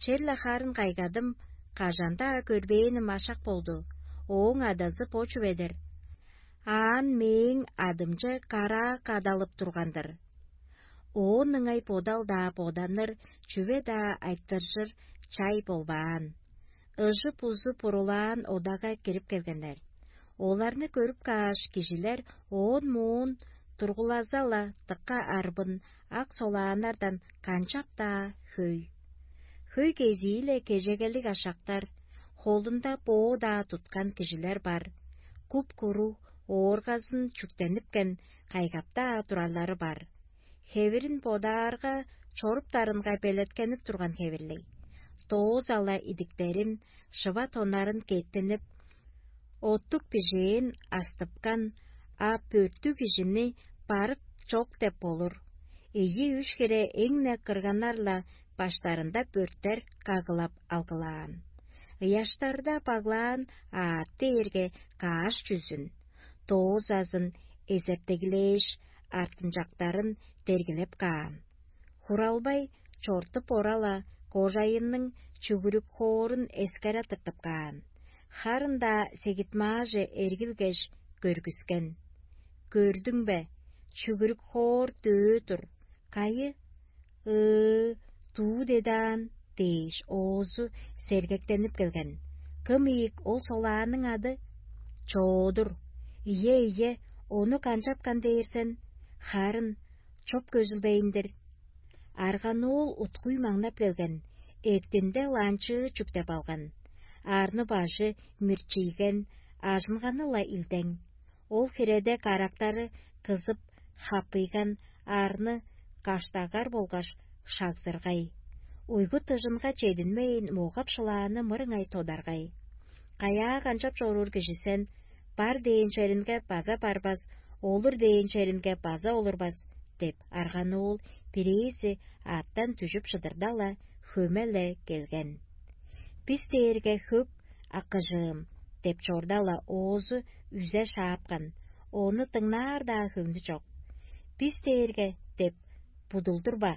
Черле харын кайгадым, кажан-даа көрбээним ашак болду. Ооң адазы бо чүве-дир. Аан мээң адымче караа кадалып турган-дыр. Оон ыңай бодал-даа боданыр, чүве-даа айтыржыр чай болбаан. Ыжы-бузу бурулаан одага кирип келгеннер. Оларны көрүп кааш, кижилер оон-моон тургулаза-ла дыка арбын, ак солааннардан канчап-даа хөй. Хөй кезии-ле кежегелиг ашактар, холунда боо-даа туткан кижилер бар, куп-куруг, ооргазын чүктенипкен, кайгап-даа турарлары бар. Хевирин бодаарга, чоруптарынга белеткенип турган хевирлиг. Дооза-ла идиктерин, шыва тоннарын кеттинип, оттук бижээн астыпкан, а бөрттүг кижини барык чок деп болур. Ийи-үш хире эң-не кырганнар-ла баштарында бөрттер кагылап алгылаан. Ыяштарда баглаан аът дээрге каш чүзүн, доозазын эзертеглээш, артынчактарын дергилеп каан. Хуралбай чортуп ора-ла, кожайынның чүгүрүк хоорун эскере тыртып каан. Харын-даа сегитмааже эргилгеш, көргүскен. «Көрдүң бе? Чүгүрүк хоор дөө тур. Кайы? Ыы, дуу дедаан» – дээш, оозу сергектенип келген. «Кым ийик ол солааның ады?» «Чоодур». «Ийе, ийе, ону канчапкан дээр сен? Харын чоп көзүлбейн-дир». Арганоол уткуй маңнап келген, эъттинде ланчыы чүктеп алган. Арны-бажы мирчийген, ажынганы-ла илдең. Ол хиреде карактары кызып, хаппыйган арны каштагар болгаш шагзыргай. Уйгу-тыжынга чединмейн, могап-шылааны мырыңай тодаргай. «Каяа канчап чоруур кижи сен? Бар дээн черинге база барбас, олур дээн черинге база олурбас» – деп, арганоол бирээзи аъттан дүжүп чыдырда-ла, хөме-ле келген. «Бис дээрге хөк, акыжыым» – деп чорда-ла, оозу үзе шаапкан, ону дыңнаар-даа хөңнү чок. «Бис дээрге» – деп будулдур ба?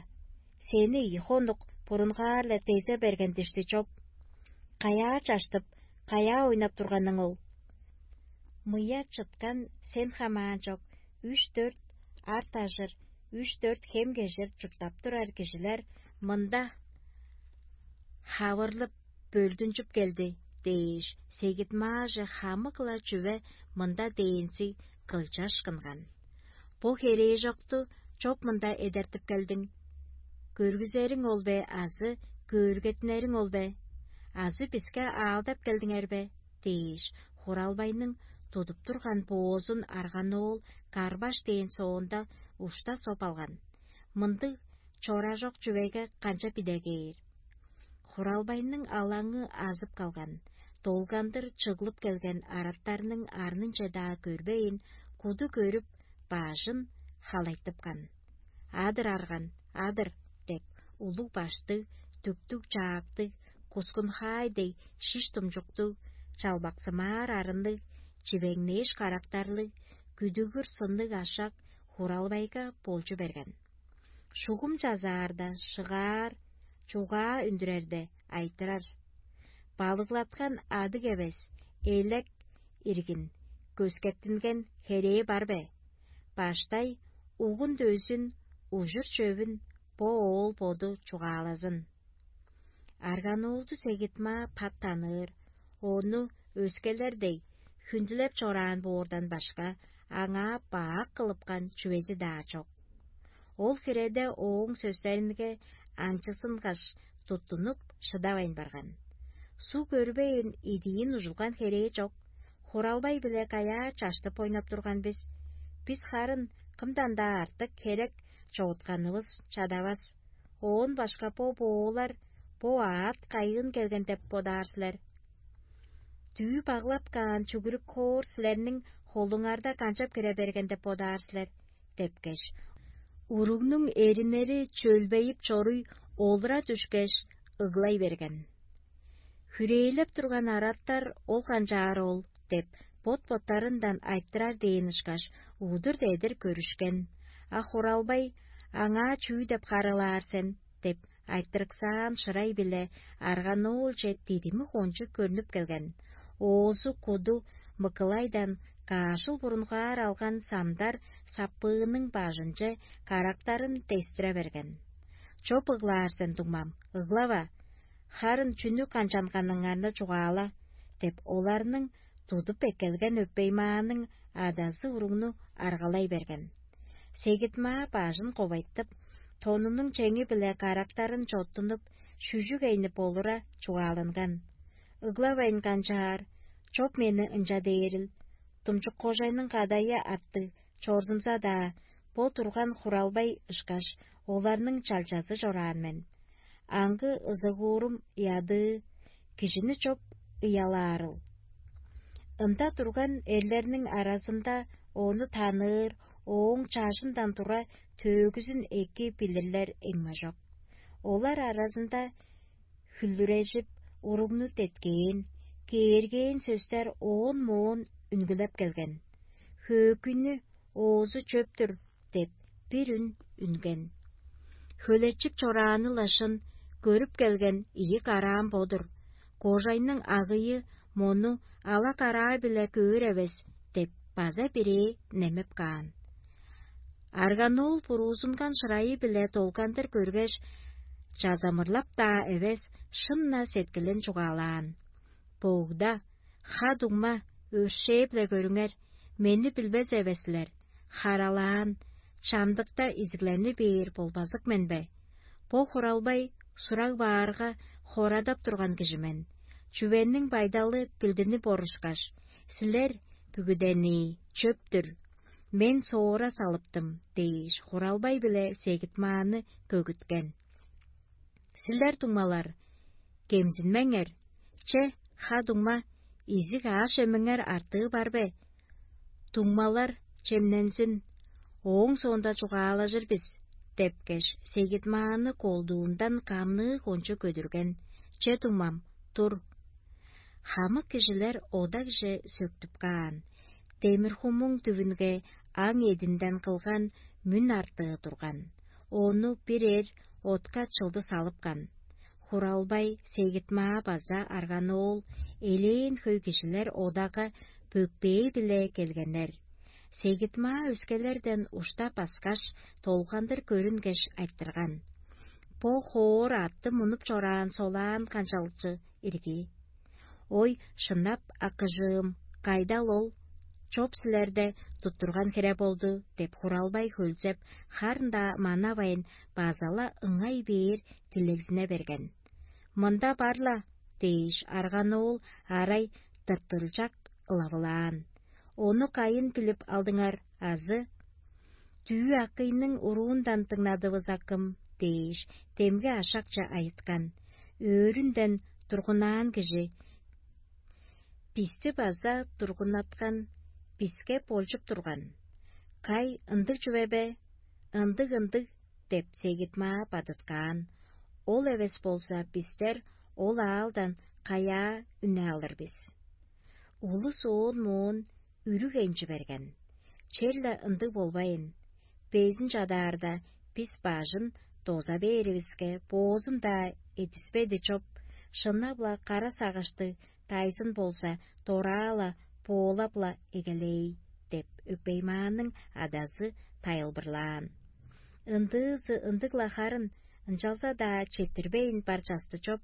Сени ийи хонук бурунгаар-ла дезе берген дишти чоп. Каяа чаштып, каяа ойнап турганың ол? Мыя чыткан сен хамаан чок, үш-дөрт арт ажыр, үш-дөрт хем кежир чурттап турар кижилер мында хавырлып, бөлдүнчүп келди дээш, сегитмааже хамык-ла чүве мында дээнзиг кылчашкынган. «Бо херээжокту чоп мында эдертип келдиң? Көргүзериң ол бе азы көөргеттинериң ол бе? Азы биске аалдап келдиңер бе?» – дээш, хуралбайның тудуп турган боозун арганоол карбаш дээн соонда ушта соп алган. Мындыг чоражок чүвеге канчап идегээр? Хуралбайның алаңы азып калган, долгандыр чыглып келген араттарның арнынче-даа көрбейн, куду көрүп, бажын халайтыпкан. «Адыр арган, адыр» – деп, улуг баштыг, дүктүг-чаактыг, кускун-хаай дег шиш-думчуктуг, чалбаксымаар арынныг, чивеңнээш карактарлыг, күдүгүр сынныг ашак Хуралбайга болчу берген. Шугум чазаарда шыгаар, чугаа үндүрерде айтырар. Балыглаткан адыг эвес, элек иргин, көскеттинген херээ бар бе? Баштай угун-дөзүн, ужур-чөвүн бо оол боду чугаалазын. Арганоолду сегитмаа пат таныыр, ону өскелер дег хүндүлеп чораан боордан башка, аңаа бак кылыпкан чүвези-даа чок. Ол хиреде ооң сөстеринге аңчызынгаш туттунуп шыдавайн барган. Суг өрбейн идиин ужулган херээ чок, Хуралбай-биле каяа чаштып ойнап турган бис. Бис харын кымдан-даа артык херек чорутканывыс чадавас. Оон башка бо боолар, бо аът кайыын келген деп бодаар силер. Дүү баглап каан чүгүрүк хоор силерниң холуңарда канчап кире берген деп бодаар силер? Депкеш, уругнуң эриннери чөлбейип чоруй олура дүшкеш, ыглай берген. Хүрээлеп турган араттар ол канчаар ол деп, бот-боттарындан айтырар дээн ышкаш, удур-дедир көрүшкен. А Хуралбай: «Аңаа чүү деп харыылаар сен?» — деп, айтырыксаан шырай-биле арганоолче дидими кончуг көрнүп келген. Оозу куду Мыкылайдан каашыл бурунгаар алган самдар саппыының бажынче карактарын дестире берген. «Чоп ыглаар сен, дуңмам, ыглава. Харын чүнү канчанганыңарны чугаала» — деп, оларның тудуп эккелген өпеймааның адазы уругну аргалай берген. Сегитмаа бажын ковайтып, тонунуң чеңи-биле карактарын чоттунуп, шүжүг эйнип олура чугааланган. Ыглавайн канчаар, чоп мени ынча дээрил, думчук кожайның кадайы аттыг чорзумза-даа, бо турган Хуралбай ышкаш оларның чалчазы чораан мен. Аңгы ызыгуурум ыядыы, кижини чоп ыялаарыл. Ында турган эрлерниң аразында ону таныыр, ооң чажындан тура төөгүзүн эки билирлер эңмежок. Олар аразында хүлдүрежип, уругну деткээн, кээргээн сөстер оон-моон үнгүлеп келген. Хөөкүйнү оозу чөп-түр деп, бир үн үнген. Хөлечип чорааны-ла шын, көрүп келген ийи караам бо-дур. Кожайның агыйы мону ала караа-биле көөр эвес деп, база бирээ немеп каан. Арганоол буруузунган шырайы-биле долгандыр көргеш, чазамырлап-даа эвес, шын-на сеткилин чугаалаан: «Богда, ха-дуңма, өршээ-биле көрүңер, мени билбес эвес силер, харалаан, чамдыкта изиглени бээр болбазык мен бе? Бо Хуралбай сураг баарга хорадап турган кижи мен. Чүвениң байдалы билдинип орушкаш, силер бүгүдени чөп-түр, мен соора салыптым» — дээш, Хуралбай-биле Сегитмааны көгүткен. Силер, дуңмалар, кемзинмеңер. Че, ха-дуңма, изиг аъш-чемиңер артыы бар бе? Дуңмалар чемнензин, ооң соонда чугаалажыр бис — депкеш, Сегитмааны колдуундан камныы кончу көдүрген. Че, дуңмам, тур. Хамык кижилер одакже сөктүп каан. Демир-хумуң дүвүнге аң эдинден кылган мүн артыы турган. Ону бир эр отка чылды салыпкан. Хуралбай, Сегитмаа база Арганоол, элээн хөй кижилер одага бөкпээ-биле келгеннер. Сегитмаа өскелерден уштап аскаш, долгандыр көрүнгеш, айтырган: «Бо хоор атты мунуп чораан солаан канчалчы ирги?» «Ой, шынап, акыжыым, кайдал ол? Чоп силерде туттурган хире болду» — деп, Хуралбай хөлзеп, харын-даа манавайн, база-ла ыңай бээр дилегзине берген. «Мында бар-ла» — дээш, Арганоол арай тыртылчак ылавылаан. «Ону кайын билип алдыңар азы?» «Дүъ-акыйның уруундан дыңнадывыс, акым» — дээш, демги ашакче айыткан. Өөрүнден тургунаан кижи: «Бисти база тургуннаткан, биске болчуп турган. Кай, ындыг чүве бе?» «Ындыг, ындыг» — деп, Сегитмаа бадыткаан. «Ол эвес болза, бистер Ол аалдан каяа үне алыр бис? Улус оон-моон үрүг энчи берген. Черле ындыг болбайн, безин чадаарда, бис бажын доза бээривиске, боозун-даа эдиспеди чоп, шынап-ла кара сагыштыг дайзын болза, дораа-ла, боолап-ла эгелээй» – деп Өпеймааның адазы тайылбырлаан. Ындыызы ындыг-ла харын, ынчалза-даа четтирбейн бар часты чоп,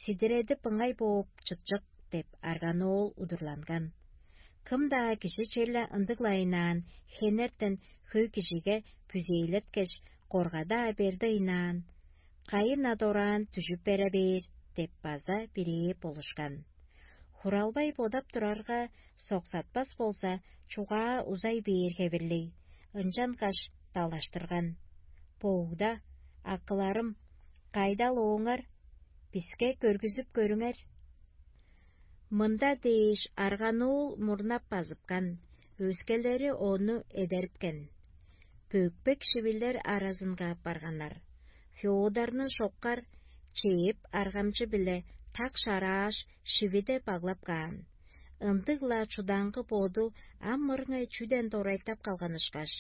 сидиредип ыңай бооп чытчык деп арганоол удурланган. Кым-даа кижи черле ындыглайнаан хенертен хөй кижиге бүзээлеткеш, корга-даа берди ыйнаан, кайын-на дораан дүжүп бере бээр деп база бирээ болушкан. Хуралбай бодап турарга, соксатпас болза, чугаа узай бээр хевирлиг, ынчангаш далаштырган: «Боогда, акыларым, кайдал ооңар? Биске көргүзүп көрүңер». Мында дээш арганоол мурнап базыпкан, өскелери ону эдерипкен. Бөкпек шивилер аразынга аппарганнар. Феодорну шоккар чээп аргамчы-биле так шарааш, шивиде баглап каан. Ындыг-ла чудаңгы боду ам мырыңай чүден дорайтап калган ышкаш,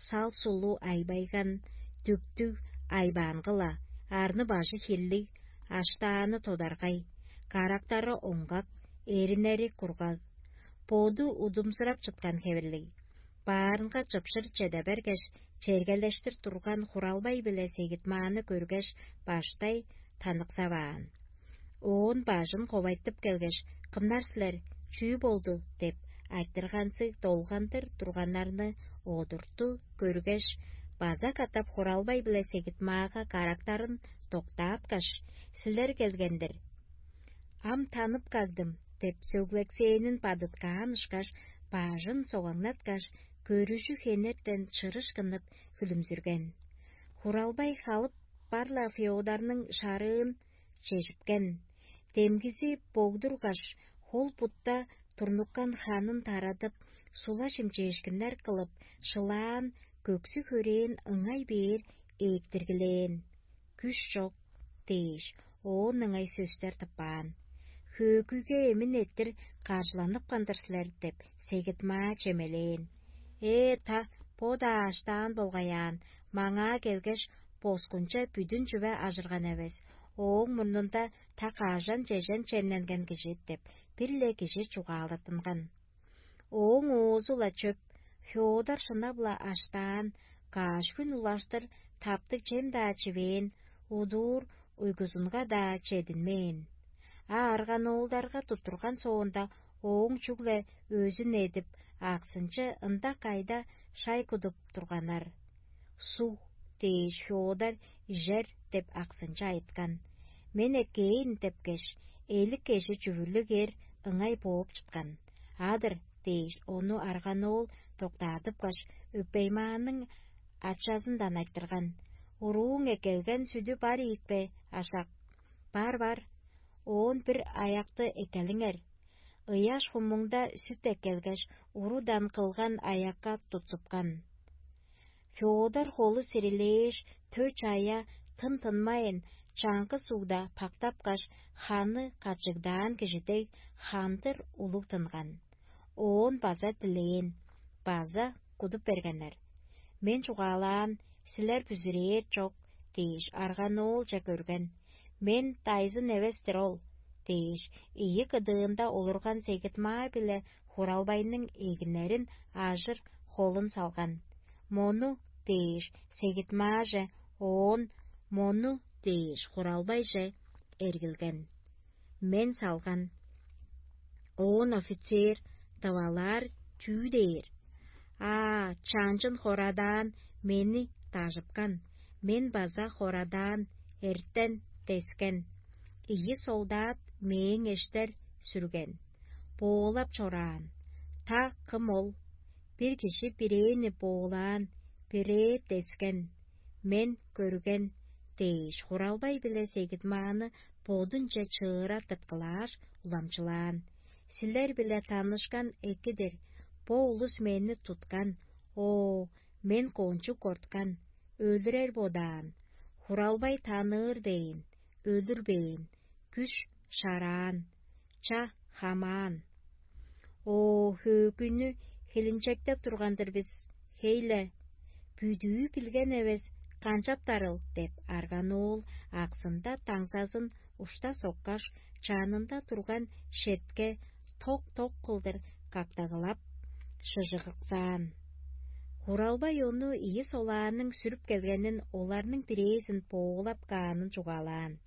сал-сулу айбайган, дүктүг, айбаангы-ла, арны-бажы хирлиг, аштааны тодаргай, карактары оңгак, эриннери кургаг, боду удумзурап чыткан хевирлиг. Баарынга чыпшыр чеде бергеш, чергелештир турган Хуралбай биле Сегит-Мааны көргеш, баштай таныксаваан. Оон бажын ковайтып келгеш: «Кымнар силер? Чүү болду?» – деп айтырганзыг долгандыр турганнарны одурту көргеш, база катап Хуралбай биле Сегит-Маага карактарын доктааткаш: «Силер келген-дир. Ам танып кагдым» – деп сөглексээнин бадыткаан ышкаш, бажын согаңнаткаш, көрүжү хенертен чырыш кынып хүлүмзүрген. Хуралбай халып бар-ла Феодорнуң шарыын чежипкен. Демгизи богдургаш, хол бутта турнуккан ханын тарадып, сула чимчээшкиннер кылып, шылаан, көксү-хөрээн ыңай бээр ээктиргилээн. «Күш чок» – дээш, оон ыңай сөстер тыппаан. «Хөөгүге эмин эрттир каржыланып кандыр силер» – деп, Сегит-Маа чемелээн. «Ээ, та, бо-даа аштаан болгай аан, маңаа келгеш, боскунче бүдүн чүве ажырган эвес, ооң мурнунда та кажан-чежен чемненген кижи» – деп, бир-ле кижи чугаалаттынган. Ооң оозу-ла чөп, Феодор шынап-ла аштаан, каш хүн улаштыр таптыг чем-даа чивээн, удуур уйгузунга-даа чединмээн. А арганоолдарга туттурган соонда, ооң чүгле өзүн эдип, аксынчы ында-кайда шай кудуп турганнар. «Суг» – дээш, Феодор «Ижер» – деп аксынчы айыткан. «Мен эккээн» – депкеш, элик кежи чүвүрлүг эр ыңай бооп чыткан. «Адыр» – дээш, ону арганоол доктаадыпкаш, Өпеймааның ачазындан айтырган: «Урууң эккелген сүдү бар ийикпе, ашак?» «Бар, бар». «Оон бир аякты эккелиңер». Ыяш хумуңда сүт эккелгеш, урудан кылган аякка тутсупкан. Феодор холу сирилээш, тө чая тын-тынмайн, чаңгыс угда пактапкаш, ханы качыгдаан кижи дег, хандыр улуг тынган. Оон база дилээн, база кудуп бергеннер. «Мен чугаалаан, силер бүзүрээр чок» – дээш, арганоолче көрген. «Мен дайзын эвес-тир ол» – дээш, ийи кыдыында олурган Сегит-Маа биле Хуралбайның эгиннерин ажыр холун салган. «Мону» – дээш, Сегит-Мааже, оон «Мону» – дээш, Хуралбайже эргилген. «Мен салган». Оон офицер: «Тавалаар чүү дээр?» «Аа, чанчын хорадаан мени дажыпкан, мен база хорадаан эртен дескен. Ийи солдат мээң эштер сүрген, боолап чораан. Та кым ол? Бир кижи бирээни боолаан, бирээ дескен, мен көрген» – дээш, Хуралбай биле Сегит-Мааны бодунче чыыра тырткылааш, уламчылаан. «Силер-биле танышкан эки-дир. Бо улус мени туткан. Оо, мен кончуг корткан, өлүрер бодаан. Хуралбай таныыр дээн, өлүрбээн, күш шараан, ча хамаан. О, хөөгүнү хилинчектеп турган-дыр бис, хей-ле, бүдүү билген эвес, канчаптарыл деп арган оол аксында таңзазын ушта соккаш, чанында турган шетке ток-ток кылдыр каптагылап, шыжыгыксаан. Хуралбай ону ийи солааның сүрүп келгенин оларның бирээзин боолап каанын чугаалаан.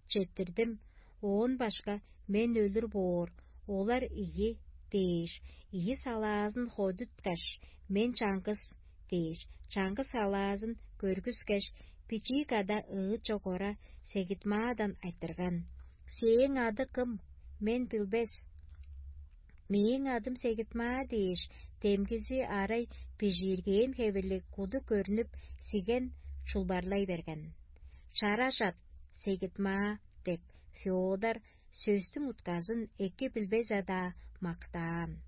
Четтирдим, оон башка мен өлүр боор, олар ийи дээш, ийи салаазын ходуткаш, мен чаңгыс дээш, чаңгыс салаазын көргүскеш, бичии када ыыт чок ора Сегитмаадан айтырган: «Сээң ады кым? Мен билбес». «Мээң адым Сегитмаа» дээш, демгизи арай бижииргээн хевирлиг куду көрнүп, сиген чулбарлай берген. «Чара чат, Сегитмаа» деп, Феодор сөстүң утказын эки билбес-даа мактаан.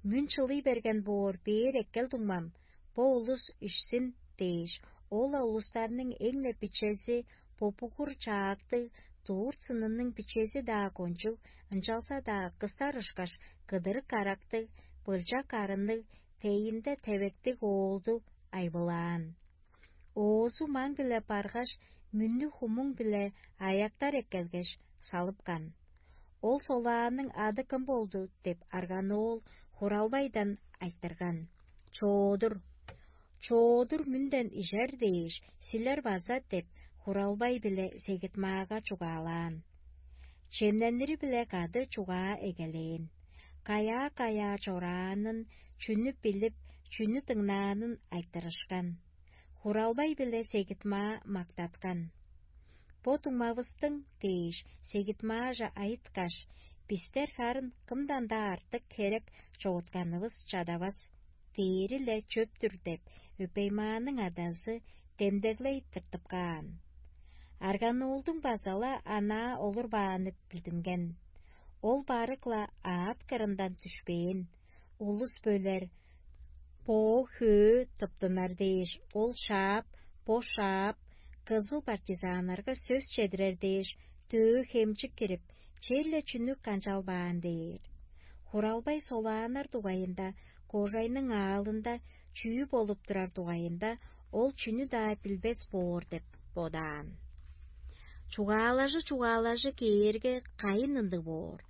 «Мүн чылый берген боор, бээр эккел, дуңмам, бо улус ишсин» дээш, ол-ла улустарның эң-не бичези, бо бугур чаактыг, дурт сынының бичези-даа кончуг, ынчалза-даа кыстар ышкаш кыдырык карактыг, былчак арынныг, тейинде тевектиг оолду айбылаан. Оозу маң-биле баргаш, мүннүг хумуң-биле аяктар эккелгеш, салыпкан. «Ол солааның ады кым болду?» – деп арган оол хуралбайдан айтырган. «Чоодур, чоодур мөнден ижер дээш, силер база» – деп, хуралбай-биле Сегитмаага чугаалаан. Чемненири-биле кады чугаа эгелээн. Каяа-каяа чораанын, чүнү билип, чүнү дыңнаанын айтырышкан. Хуралбай-биле Сегитмаа мактаткан. «Бо дуңмавыстың» – дээш, Сегитмааже айыткаш: «Бистер харын кымдан-даа артык херек чогутканывыс чадавас, дээри-ле чөп-түр» – деп, Өпеймааның адазы демдеглей тыртып каан. Арган оолдуң база-ла анаа олурбааны билдинген. Ол барык-ла аът кырындан дүшпээн. Улус бөлер, боо-хөө тыптынар дээш, ол шаап, бо шаап, кызыл партизаннарга сөс чедирер дээш, дөө-хемчик кирип, черле чүнү канчалбаан дээр. Хуралбай солааннар дугайында, кожайның аалында чүү болуп турар дугайында ол чүнү-даа билбес боор деп бодаан. Чугаалажы-чугаалажы кээрге, кайын ындыг боор.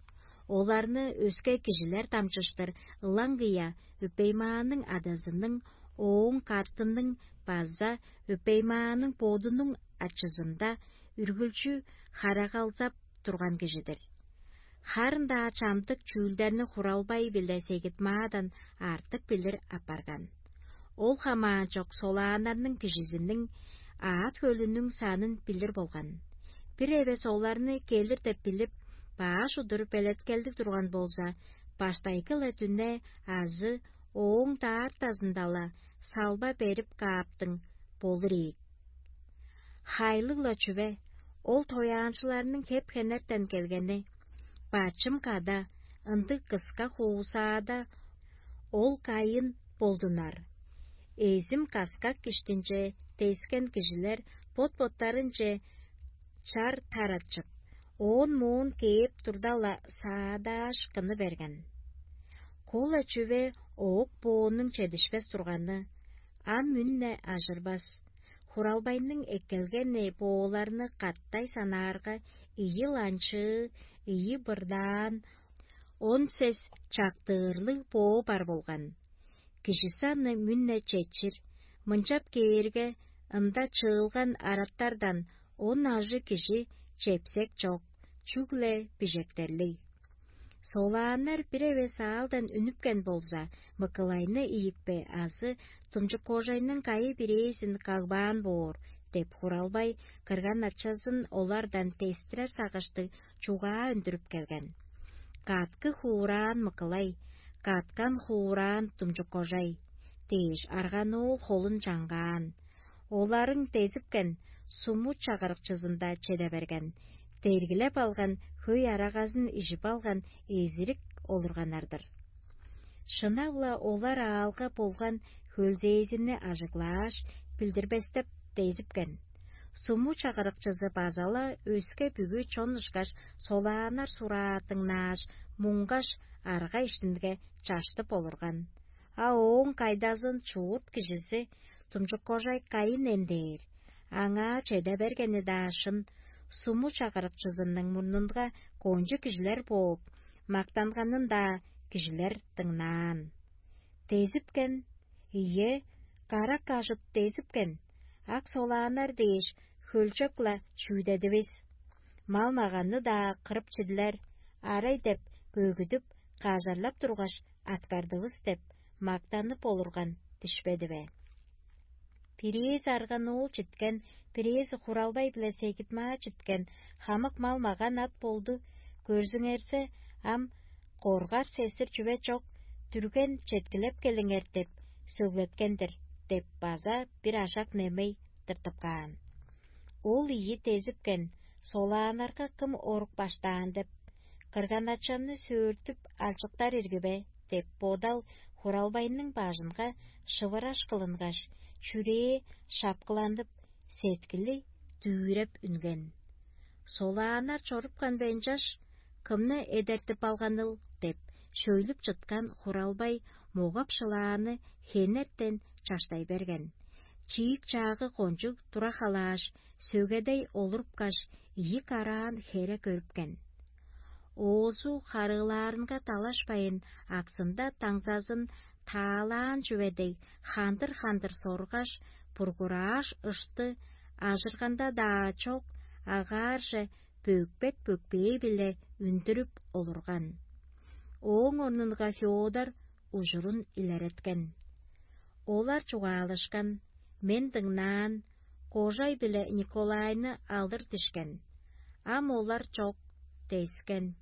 Оларны өске кижилер дамчыштыр ылаңгыя Өпеймааның адазының, ооң катының база Өпеймааның бодунуң ачызында үргүлчү харагалзап турган кижи-дир. Харын-даа чамдык чүүлдерни Хуралбай-биле Сегитмаадан артык билир апарган. Ол хамаанчок солааннарның кижизиниң аът-хөлүнүң санын билир болган. Бир эвес оларны келир деп билип, баш удур белеткелдиг турган болза, баштайгы-ла дүне азы ооң даартазында-ла салба берип кааптың болур ийик. Хайлыг-ла чүве, ол тояанчыларның хеп-хенертен келгени, бачым када, ындыг кыска хуусаада ол кайын болдунар. Эзим каскак иштинче дескен кижилер бот-боттарынче чар таратчып, оон-моон кээп турда-ла саадааш кыны берген. Кол-ла чүве оок-бооннуң чедишпес турганы, ам мүн-не ажырбас. Хуралбайның эккелгени бооларны каттай санаарга, ийи ланчыы, ийи бырдаан, он сес чактыырлыг боо бар болган. Кижи саны мүн-не четчир, мынчап кээрге, ында чыылган араттардан он ажыг кижи чепсек чок, чүгле бижектерлиг. Солааннар бир эвес аалдан үнүпкен болза, Мыкылайны ийикпе азы тумчук кожайның кайы-бирээзин кагбаан боор деп, Хуралбай кырган-ачазын олардан дестирер сагыштыг чугаа үндүрүп келген. «Каткы хуурааң Мыкылай, каткан хуурааң Тумчук-кожай» – дээш, арган-оол холун чаңгаан. Оларың дезипкен, суму чагырыкчызында чеде берген, дергилеп алган хөй арагазын ижип алган эзирик олурганнар-дыр. Шынап-ла олар аалга болган хөлзээзинни ажыглааш, билдирбестеп дезипкен. Суму чагырыкчызы база-ла өске бүгү чон ышкаш солааннар сураа дыңнааш, муңгаш, арга иштинге чаштып олурган. А ооң кайдазын чуут кижизи тумчук кожай Каин эндээр. Аңаа чеде бергени-даа шын, суму чагырыкчызының мурнунга кончуг кижилер бооп, мактанганын-даа кижилер дыңнаан. Дезипкен, ийе, карак ажыт дезипкен, ак солааннар дээш хөлчок-ла чүүдедивис. Мал-маганны-даа кырып чидлер, арай деп көгүдүп, кажарлап тургаш, аткардывыс деп мактанып олурган дишпеди бе? Бирээзи арган оол читкен, бирээзи хуралбай-биле сегитмаа читкен, хамык мал-маган ат болду. Көрзүңерзе, ам коргар-сестир чүве чок, дүрген четкилеп келиңер деп сөглеткен-дир деп база бир ашак немей тыртып каан. Ол ийи дезипкен, солааннарга кым орук баштаан деп, кырган-ачамны сөөртүп алчыктар ирги бе деп бодал хуралбайның бажынга шывыраш кылынгаш, чүрээ шапкыланып, сеткили дүүреп үнген. Солааннар чорупкан бе ынчаш, кымны эдертип алганыл деп, шөйлүп чыткан хуралбай могап-шылааны хенертен чаштай берген. Чиик-чаагы кончуг тура халааш, сөгедей олурупкаш, ийи караан хере көрүпкен. Оозу харыылаарынга талашпайн, аксында даңзазын таалаан чүве дег, хандыр-хандыр соргаш, бургурааш ышты, ажырганда-даа чок, агаарже бөкпек-бөкпээ-биле үндүрүп олурган. Ооң орнунга Феодор ужурун илереткен. Олар чугаалашкан, мен дыңнаан, кожай биле Николайны алыр дишкен. Ам олар чок, дескен.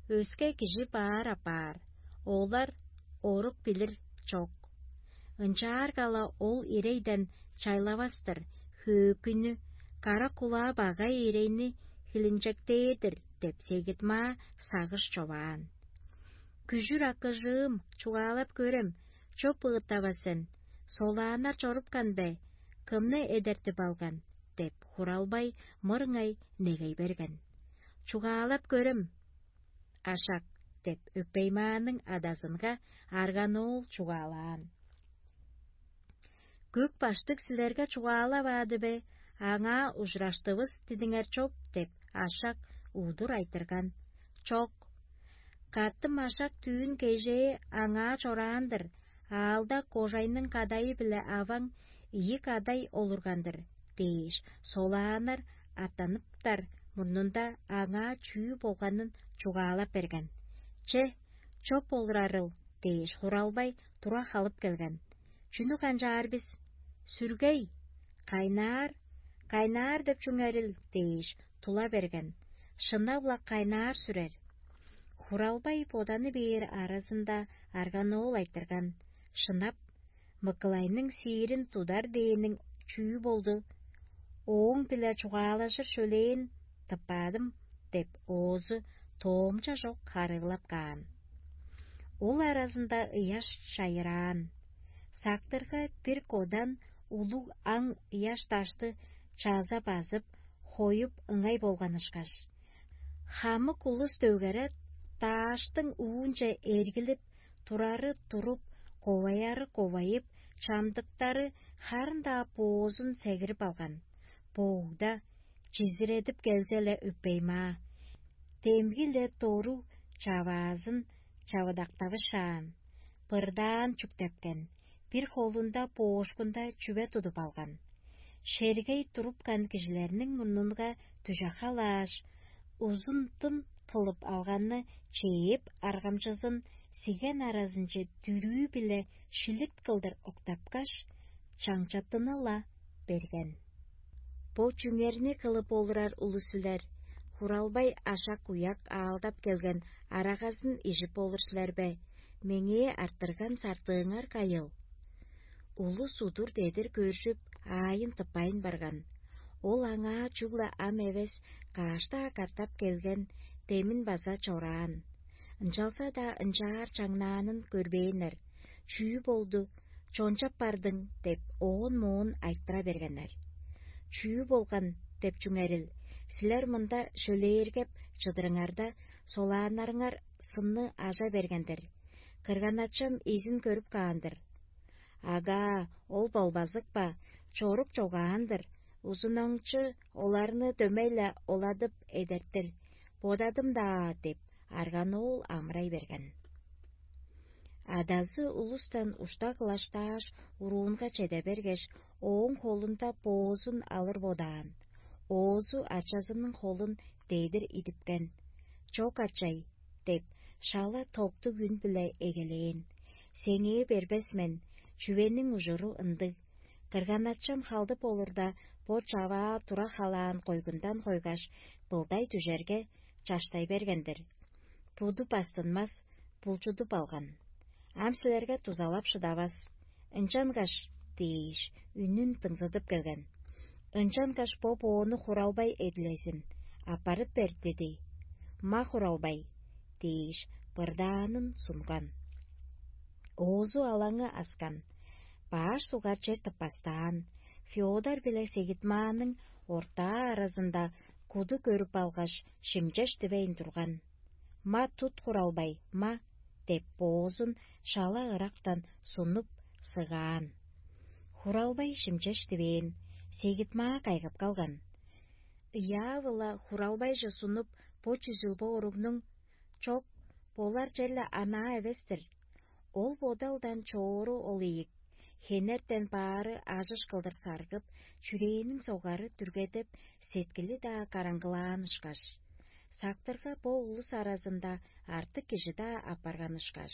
Өске кижи баар апаар, олар орук билир чок. Ынчаарга-ла ол ирейден чайлавас-тыр, хөөкүйнү, кара кулаа багай ирейни хилинчектээр-дир деп сегидмаа сагыш човаан. Күжүр акыжыым, чугаалап көрем, чоп ыыттава сен, солааннар чорупкан бе, кымны эдертип алган? Деп хуралбай мырыңай негей берген. Чугаалап көрем, ашак, деп өпеймааның адазынга арганоол чугаалаан. Көк баштыг силерге чугаалаваады бе, аңаа ужураштывыс дидиңер чоп деп ашак удур айтырган. Чок. Каттым ашак түүн кежээ аңаа чораан-дыр, аалда кожайның кадайы-биле аваң ийи кадай олурган-дыр дээш, солааннар аттаныптар мурнунда аңаа чүү болганын чугаалап берген. Че, чоп олурарыл дээш, хуралбай тура халып келген. Чүнү канчаар бис? Сүргей, кайнаар, кайнаар деп чүңерил дээш, тула берген. Шынап-ла кайнаар сүрер. Хуралбай боданы бээр аразында арганоол айтырган. Шынап, Мыкылайның сиирин тудар дээниң чүү болду? Ооң-биле чугаалажыр шөлээн тыппаадым деп, оозу тоомча чок харыылап каан. Ол аразында ыяш чайыраан. Сактырга бир кодан улуг аң ыяш дашты чаза базып, хоюп ыңай болган ышкаш. Хамык улус дөгере дааштың уунче эргилип, турары туруп, коваяры ковайып, чамдыктары харын-даа боозун сегирип алган. Боогда чизиредип келзе-ле өппеймаа. Демги-ле дору чаваазын чавыдактавышаан, бырдаан чүктепкен, бир холунда боошкунда чүве тудуп алган. Шергей турупкан кижилерниң мурнунга дүжахалааш, узундун кылып алганны чээп, аргамчызын сиген аразынче дүрүү-биле шилит кылдыр октапкаш, чаңчаттыны-ла берген. Бо чүңерни кылып олурар улус силер, хуралбай ашак-уяк аалдап келген арагазын ижип олур силер бе? Меңээ арттырган сартыыңар кайыл? Улус удур дедир көржүп, аайын тыппайн барган. Ол аңаа чүгле ам эвес, кааш-даа катап келген демин база чораан. Ынчалза-даа ынчаар чаңнаанын көрбээннер. Чүү болду, чончап бардың деп, оон-моон айтыра бергеннер. Чүү болган деп чүңерил? Силер мында шөлээргеп чыдырыңарда, солааннарыңар сынны ажа берген-дир. Кырганачам эзин көрүп каан-дыр. Ага, ол болбазык ба, чорук чогаан-дыр, узунаңчы оларны дөмей-ле оладып эдертир, бодадым-даа деп, арган оол амырай берген. Адазы улустан ушта кылаштааш, уруунга чеде бергеш, ооң холунда боозун алыр бодаан. Оозу ачазының холун дедир идипкен. «Чок, ачай» – деп, шала токтуг үн-биле эгелээн. «Сеңээ бербес мен, чүвениң ужуру ындыг. Кырган-ачам халдып олурда, бо чаваа тура халаан койгундан койгаш, былдай дүжерге, чаштай берген-дир. Буду бастынмас, булчудуп алган. Ам силерге дузалап шыдавас. Ынчангаш» – дээш, үнүн дыңзыдып келген. «Ынчангаш бо-боону хуралбай эдилезин, аппарып бер» – диди. «Ма, хуралбай» – дээш, бырдаанын сунган. Оозу алаңы аскан, баш сугар чер тыппастаан, Феодор биле Сегитмааның ортаа аразында куду көрүп алгаш, шимчеш дивейн турган. «Ма, тут, хуралбай, ма!» – деп, боозун шала ырактан сунуп, сыгаан. Хуралбай шимчеш дивээн, Сегитмаа кайгап калган. Ыяавыла хуралбайже сунуп, бо чүзүл бо уругнуң: «Чок, болар черле анаа эвес-тир. Ол бодалдан чоору ол ийик, хенертен баары ажыш кылдыр саргып, чүрээниң согары дүргедеп, сеткили-даа караңгылаан ышкаш. Сактырга бо улус аразында артык кижи-даа апарган ышкаш».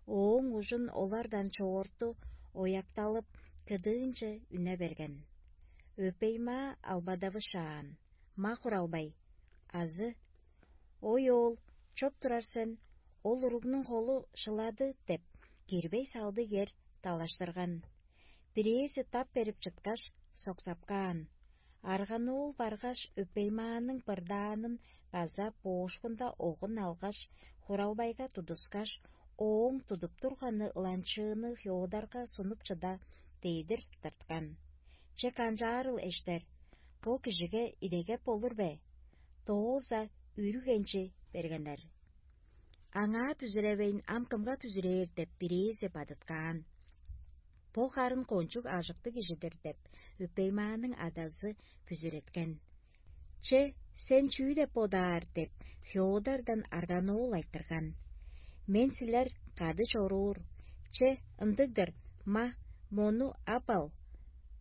Ооң ужун олардан чоорту оякталып, кыдыынче үне берген. Өпеймаа албадавышаан: «Ма, хуралбай!» Азы: «Ой, оол, чоп турар сен, ол уругнуң холу шылады» – деп, кирбей салдыг эр далаштырган. Бирээзи тап берип чыткаш, соксап каан. Арган-оол баргаш, Өпеймааның бырдаанын база боошкунда огун алгаш, хуралбайга тудускаш, ооң тудуп турганы ыланчыыны Феодорга сунуп чыда дедир тырткан. «Че канчаарыл, эштер, бо кижиге идегеп болур бе?» Дооза үрүгенчи бергеннер. «Аңаа бүзүревейн, ам кымга бүзүрээр?» – деп, бирээзи бадыткаан. «Бо харын кончуг ажыктыг кижи-дир» – деп, Өпеймааның адазы бүзүреткен. «Че, сен чүү деп бодаар?» – деп, Феодордан арган-оол айтырган. «Мен силер кады чоруур. Че, ындыг-дыр, ма, мону ап ал,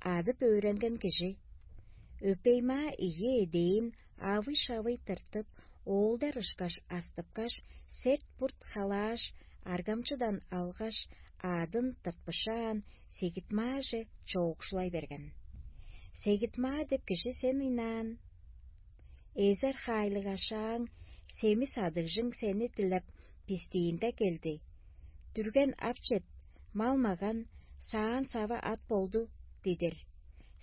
адып өөренген кижи». Өпеймаа ийи эдээн авый-шавый тыртып, оолдар ышкаш астыпкаш, серт-бурт халааш, аргамчыдан алгаш, аъдын тыртпышаан, Сегитмааже чоокшулай берген. «Сегитмаа деп кижи сен ыйнаан. Эзер хаайлыг ашааң, семис адыгжың сени дилеп, бистиинде келди. Дүрген ап чет, мал-маган, саан-сава ат болду дидир.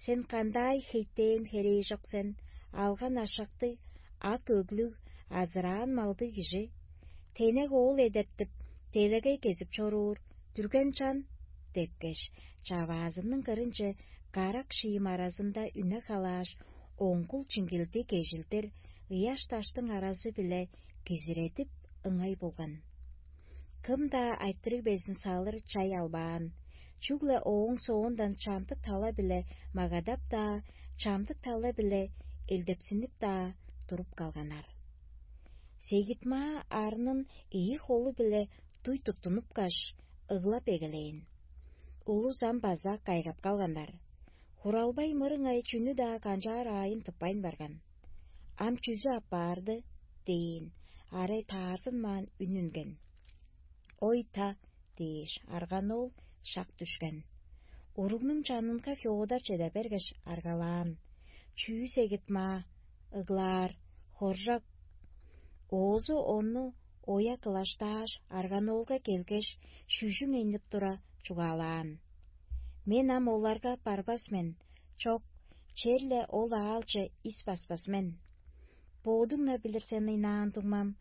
Сен кандай хейтээн херээжок сен, алган ашакты, ак өглүг, азыраан малдыг кижи. Тенек оол эдертип, делегей кезип чоруур, дүрген чан» – депкеш, чаваазының кырынче карак шиим аразында үне халааш, оңгул чиңгилди кежилдир ыяш-даштың аразы-биле кизиредип, ыңай болган. Кым-даа айтырыг безин салыр чай албаан, чүгле ооң соондан чамдык тала-биле магадап-даа, чамдык тала-биле элдепсинип-даа туруп калганнар. Сегитмаа арнын ийи холу-биле дуй туттунупкаш, ыглап эгелээн. Улус ам база кайгап калганнар. Хуралбай мырыңай чүнү-даа канчаар аайын тыппайн барган. «Ам чүзү аппаарды?» – дээн, арай таарзынмаан үн үнген. «Ой, та!» – дээш, арган-оол шак дүшкен. Уругнуң чанынга Феодор чеде бергеш, аргалаан: «Чүү, Сегитмаа, ыглаар, хоржок?» Оозу ону оя кылаштааш, арган-оолга келгеш, шүжүң энип тура, чугаалаан: «Мен ам оларга барбас мен, чок, черле ол аалче ис баспас мен. Бодуң-на билир сен ыйнаан, дуңмам,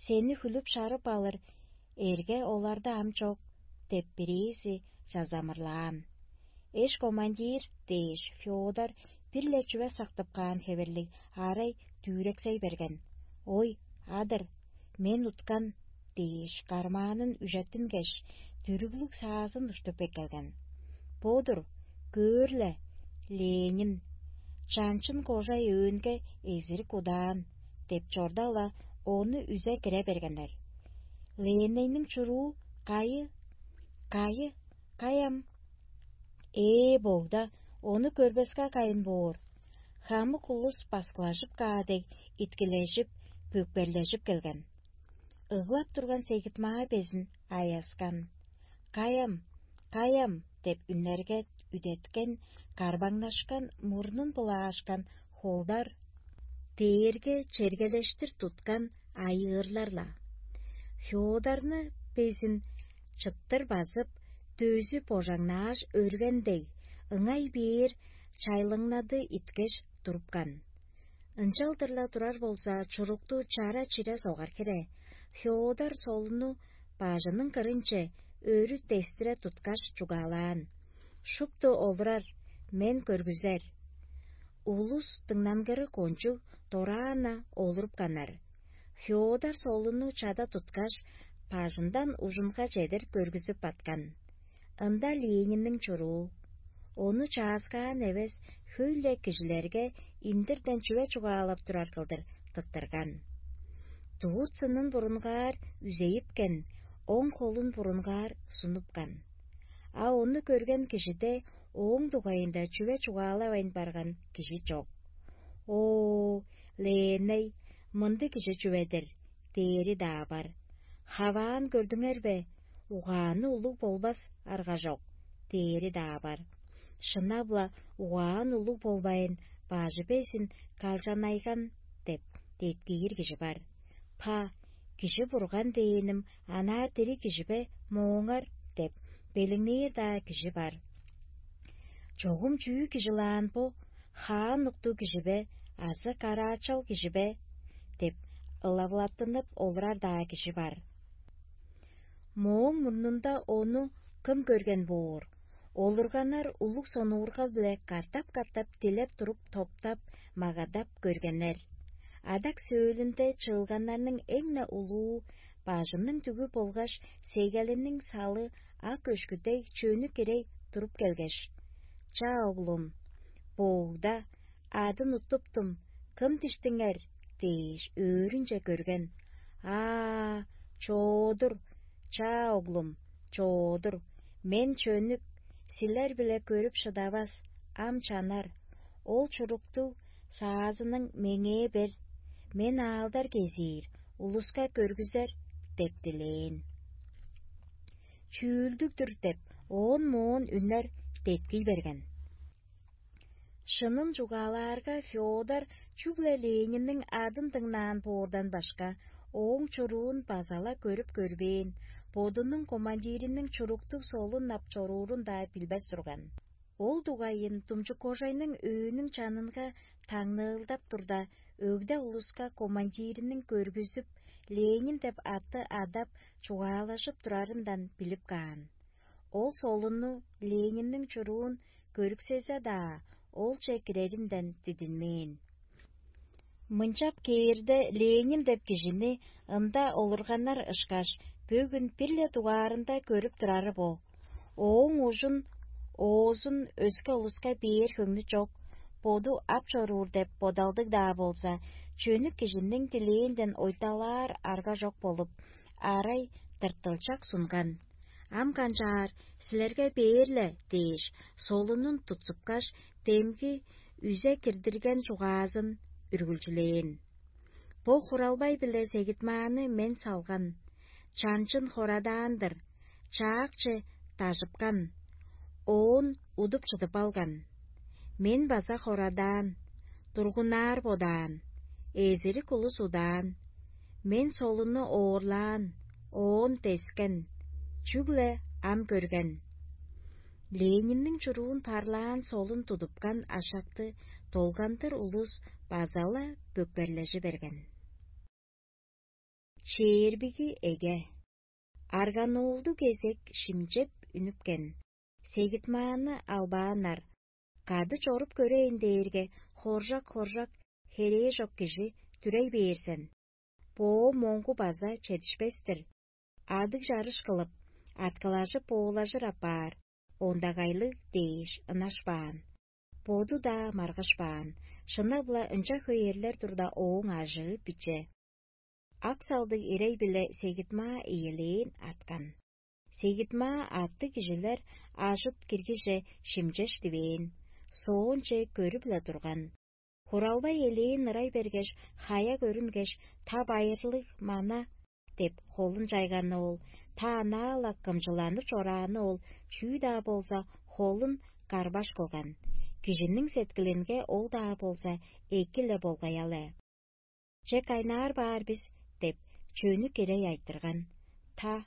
сени хүлүп шарып алыр эрге оларда ам чок» – деп, бирээзи чазамырлаан. «Эш командир» – дээш, Феодор бир-ле чүве сактып каан хевирлиг арай дүвүрексей берген. «Ой, адыр, мен уткан» дээш, кармаанын үжеттингеш, дүрүглүг саазын уштуп эккелген. «Бо-дур, көөр-ле, Ленин, чанчын кожай өөнге эзирик удаан» деп чорда-ла, ону үзе кире бергеннер. «Ленинниң чуруу кайы? Кайы? Каяам?» «Ээ, богда, ону көрбеске кайын боор». Хамык улус баскылажып каа дег, иткилежип, пөкперлежип келген. Ыглап турган Сегит-Маа безин аяскан. «Каяам? Каяам?» деп үннерге үдеткен, карбаңнашкан, мурнун былаашкан холдар дээрге чергелештир туткан айыырлар-ла. Феодорну безин чыттыр базып, дөзү божаңнааш өрген дег, ыңай бээр чайлыңнады иткеш турупкан. Ынчалдыр-ла турар болза, чурукту чара-чире согар хире, Феодор солунну бажының кырынче өрү дестире туткаш чугаалаан: «Шупту олурар, мен көргүзер». Улус дыңнангыры кончуг дораан-на олурупканнар. Феодор солунну чада туткаш, бажындан ужунга чедир көргүзүп баткан. Ында Ленинниң чуруу. Ону чааскаан эвес, хөй-ле кижилерге индирден чүве чугаалап турар кылдыр тыттырган. Дурт сынын бурунгаар үзейипкен, оң холун бурунгаар сунупкан. А ону көрген кижиде ооң дугайында чүве чугаалавайн барган кижи чок. «О, Леней, мындыг кижи чүве-дир» дээри-даа бар. «Хаваан көрдүңер бе? Угааны улуг болбас арга чок» дээри-даа бар. Шынап-ла, угаан улуг болбайн, бажы безин калчанайган деп деткиир кижи бар. «Па, кижи бурган дээним, анаа дириг кижи бе, мооңар?» деп белиңнээр-даа кижи бар. «Чогум чүү кижи-лаан бо, хаан уктуг кижи бе азы караачал кижи бе?» деп ылавылаттынып олурар-даа кижи бар. Мооң мурнунда ону кым көрген боор? Олурганнар улуг сонуургал-биле катап-катап дилеп туруп, топтап, магадап көргеннер. Адак сөөлүнде чыылганнарның эң-не улуу, бажының дүгү болгаш сегелиниң салы ак өшкү дег чөнү кирей туруп келгеш: «Ча, оглум, боогда, адын уттуптум, кым диштиңер?» дээш, өөрүнче көрген. «Аа, чоодур, ча, оглум, чоодур. Мен чөнүк, силер-биле көрүп шыдавас, ам чанар. Ол чуруктуг саазының меңээ бер. Мен аалдар кезиир, улуска көргүзер» деп дилээн. «Чүүлдүг-дүр» деп, оон-моон үннер деткий берген. Шынын чугаалаарга, Феодор чүгле Ленинниң адын дыңнаан боордан башка, ооң чуруун база-ла көрүп көрбээн, бодунуң командириниң чуруктуг солун ап чоруурун-даа билбес турган. Ол дугайын Думчук-Кожайның өөнүң чанынга таңныылдап турда, өгде улуска командириниң көргүзүп, Ленин деп атты адап, чугаалажып турарындан билип каан. Ол солунну, Ленинниң чуруун көрүксезе-даа, олче киреринден дидинмээн. Мынчап кээрде, Ленин деп кижини ында олурганнар ышкаш, бөгүн бир-ле дугаарында көрүп турары бо. Ооң ужун, оозун өске улуска бээр хөңнү чок, боду ап чоруур деп бодалдыг-даа болза, чөнүк кижиниң дилээнден ойталаар арга чок болуп, арай тыртылчак сунган. «Ам канчаар, силерге бээр-ле» дээш, солунун тутсупкаш, демги үзе кирдирген чугаазын үргүлчүлээн. Бо хуралбай-биле Сегитмааны мен салган, чанчын хорадаан-дыр, чаакчы дажыпкан, оон удуп чыдып алган. Мен база хорадаан, тургунаар бодаан, эзирик улус удаан. Мен солунну оорлаан, оон дескен, чүгле ам көрген. Ленинниң чуруун парлаан солун тудупкан ашакты долгандыр улус база-ла бөкперлежи берген. Чээрбиги эге. Арганулду кезек шимчеп үнүпкен. Сегитмааны албааннар. Кады чоруп көрейн дээрге, хоржак-хоржак херээжок кижи дүрей бээр сен. Боо моңгу база чедишпес-тир. Адыг чарыш кылып, арткылажып-боолажыр апаар, ондагайлыг дээш ынашпаан. Боду-даа маргышпаан, шынап-ла ынча хөй эрлер турда, ооң ажыы биче. Ак салдыг ирей-биле сегитмаа ийилээн арткан. Сегитмаа аттыг кижилер ажыт киргиже шимчеш дивээн, соонче көрүп-ла турган. Хуралбай элээн ырай бергеш, хая көрүнгеш, та байырлыг мана деп холун чайганы ол, та анаа-ла кымчыланып чорааны ол, чүү-даа болза, холун карбаш кылган. Кижиниң сеткилинге ол-даа болза, эки-ле болгай-ал ээ. Че кайнаар баар бис деп, чөнү кирей айтырган. Та: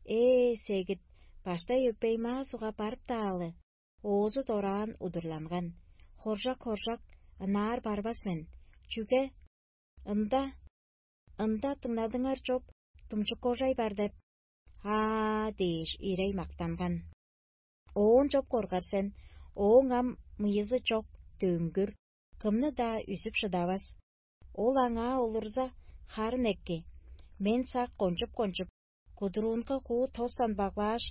«Ээ, сегит, баштай өпей-маа суга барып-даалы, оозу дораан удурланган. Хоржак-хоржак, ынаар барбас мен. Чүге? Ында, ында дыңнадыңар чоп, думчук кожай бар деп». «Аа» дээш, ирей мактанган. Оон чоп коргар сен, ооң ам мыйызы чок, дөңгүр, кымны-даа үзүп шыдавас. Ол аңаа олурза, харын эки, мен сак кончуп-кончуп, кудуруунга куу тостан баглааш,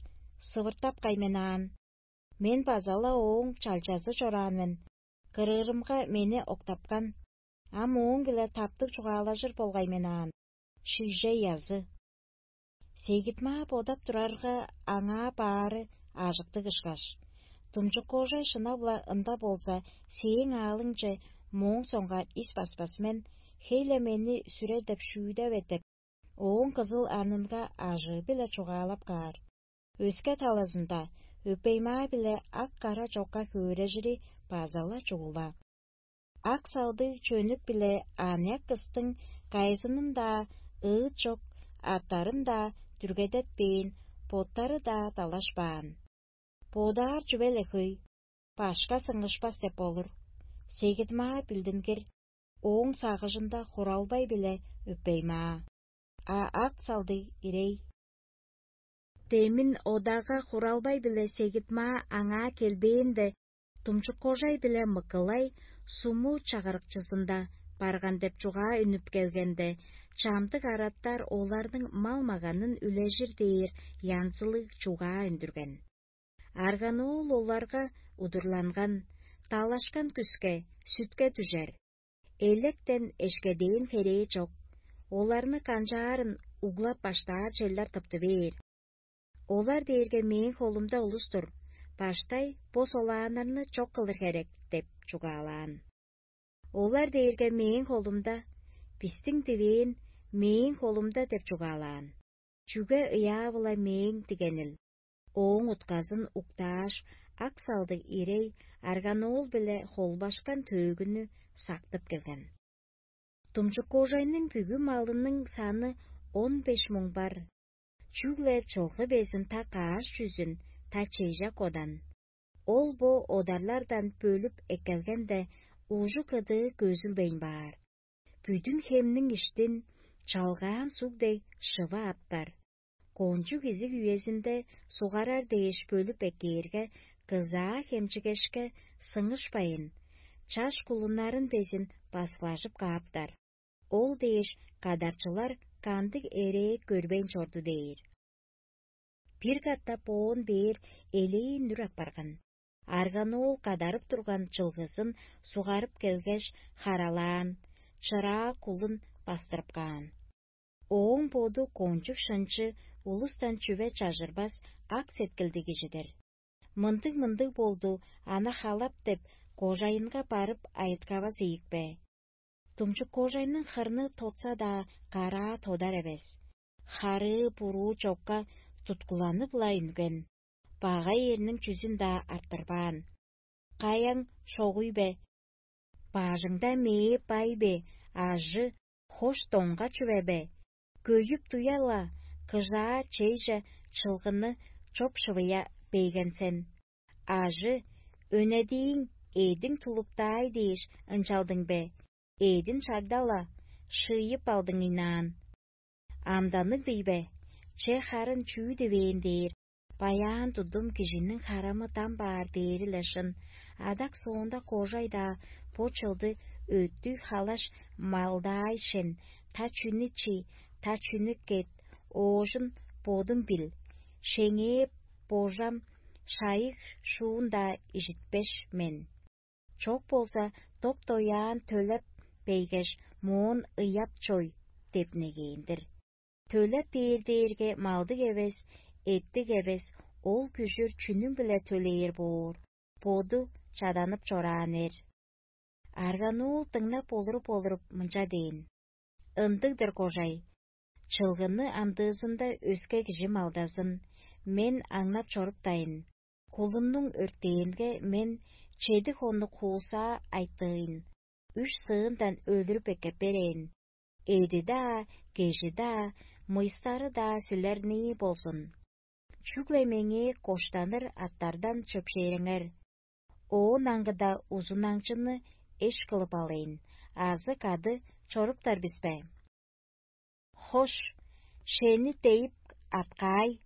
сывыртап кайменаан. Мен база-ла ооң чалчазы чораан мен, кырыырымга мени октапкан, ам ооң-биле таптыг чугаалажыр болгай мен аан. Шигжей азы. Сегитмаа бодап турарга, аңаа баары ажыктыг ышкаш. Думчуккожай шынап-ла ында болза, сээң аалыңче мооң соңгаар ис баспас мен, хей-ле мени сүрер деп шүүдеп этеп, ооң кызыл анынга ажыы-биле чугаалап каар. Өске талазында өпеймаа-биле ак-кара чокка хөөрежири база-ла чугула. Ак салдыг чөнүк-биле аныяк кыстың кайызынын-даа ыыт чок аттарын-даа дүргедетпээн, боттары-даа далашпаан. Бодаар чүве-ле хөй, башка сыңышпас деп болур. Сегидмаа билдингир, ооң сагыжында хуралбай-биле өппеймаа, а ак салдыг ирей. Демин одага хуралбай-биле сегитмаа аңаа келбээнде, думчуккожай-биле мыкылай суму чагырыкчызында барган деп чугаа үнүп келгенде, чамдык араттар оларның мал-маганын үлежир дээр янзылыг чугаа үндүрген. Арганоол оларга удурланган, далашкан күске, сүтке дүжер, электен эшкедээн херээ чок, оларны канчаарын углап баштаар челдер тыпты бээр. Олар дээрге мээң холумда улус-тур, баштай бо солааннарны чок кылыр херек деп чугаалаан. Олар дээрге мээң холумда, бистиң дивээн мээң холумда деп чугаалаан. Чүге ыяавыла мээң дигенил? Ооң утказын уктааш, ак салдыг ирей арганоол-биле холбашкан төөгүнү сактып келген. Думчуккожайның бүгү малының саны он беш муң бар. Чүгле чылгы безин та кааш чүзүн, та чежек одан. Ол бо одарлардан бөлүп эккелгенде, ужу-кыдыы көзүлбейн баар. Бүдүн хемниң иштин чалгаан суг дег шыва аптар. Кончуг изиг үезинде сугарар дээш бөлүп эккээрге, кызаа хемчигешке сыңышпайн, чаш кулуннарын безин баскылажып кааптар. Ол дээш кадарчылар кандыг эрээ көрбейн чорду дээр. Бир катап оон бээр элээн үр апарган. Арганоол кадарып турган чылгызын сугарып келгеш, харалаан, чыраа кулун бастырып каан. Ооң боду кончуг шынчы улустан чүве чажырбас ак сеткилдиг кижи-дир. Мындыг-мындыг болду, ана халап деп, кожайынга барып айыткавас ийик бе? Думчук кожайның хырны тотса-даа, караа тодар эвес. Харыы буруу чокка туткуланып-ла үнген, багай эрниң чүзүн-даа арттырбаан. Каяң шогуй бе? Бажыңда мээ бай бе, ажы, хош доңга чүве бе? Көйүп туя-ла, кыжаа чейже чылгыны чоп-шывыя бейген сен. Ажы, өнедииң эъдиң тулуптаай дээш ынчалдың бе? Эъдин шагда-ла, шыйып алдың ыйнаан. Амданныг дий бе? Че харын чүү дивээн дээр? Баяан тудум кижиниң харамы дам баар дээри-ле шын. Адак соонда кожай-даа бо чылды өттүг халаш малдаай шен: «Та чүнү чи, та чүнү кет, оожун бодум бил, шеңээ божам шайыг шуун-даа ижитпеш мен. Чок болза, доп-дояан төлеп бейгеш, моон ыяп чой» — деп негээн-дир. Төлеп бээр дээрге малдыг эвес, эттиг эвес, ол күжүр чүнүң-биле төлээр боор, боду чаданып чораан эр. Аргануул дыңнап олуруп-олуруп мынча дээн: «Ындыг-дыр, кожай. Чылгыны амдыызында өске кижи малдазын, мен аңнап чоруптайн. Кулумнуң өртээнге мен чеди хоннуг хуусаа айтыын, үш сыындан өлүрүп эккеп берээн. Эди-даа, кежи-даа, мыйыстары-даа силернии болзун. Чүгле меңээ коштаныр аттардан чөпшээриңер. Оон аңгыда узунаңчыны эш кылып алыйн, азы кады чоруптар бис бе? Хош, шени дейип аткаай,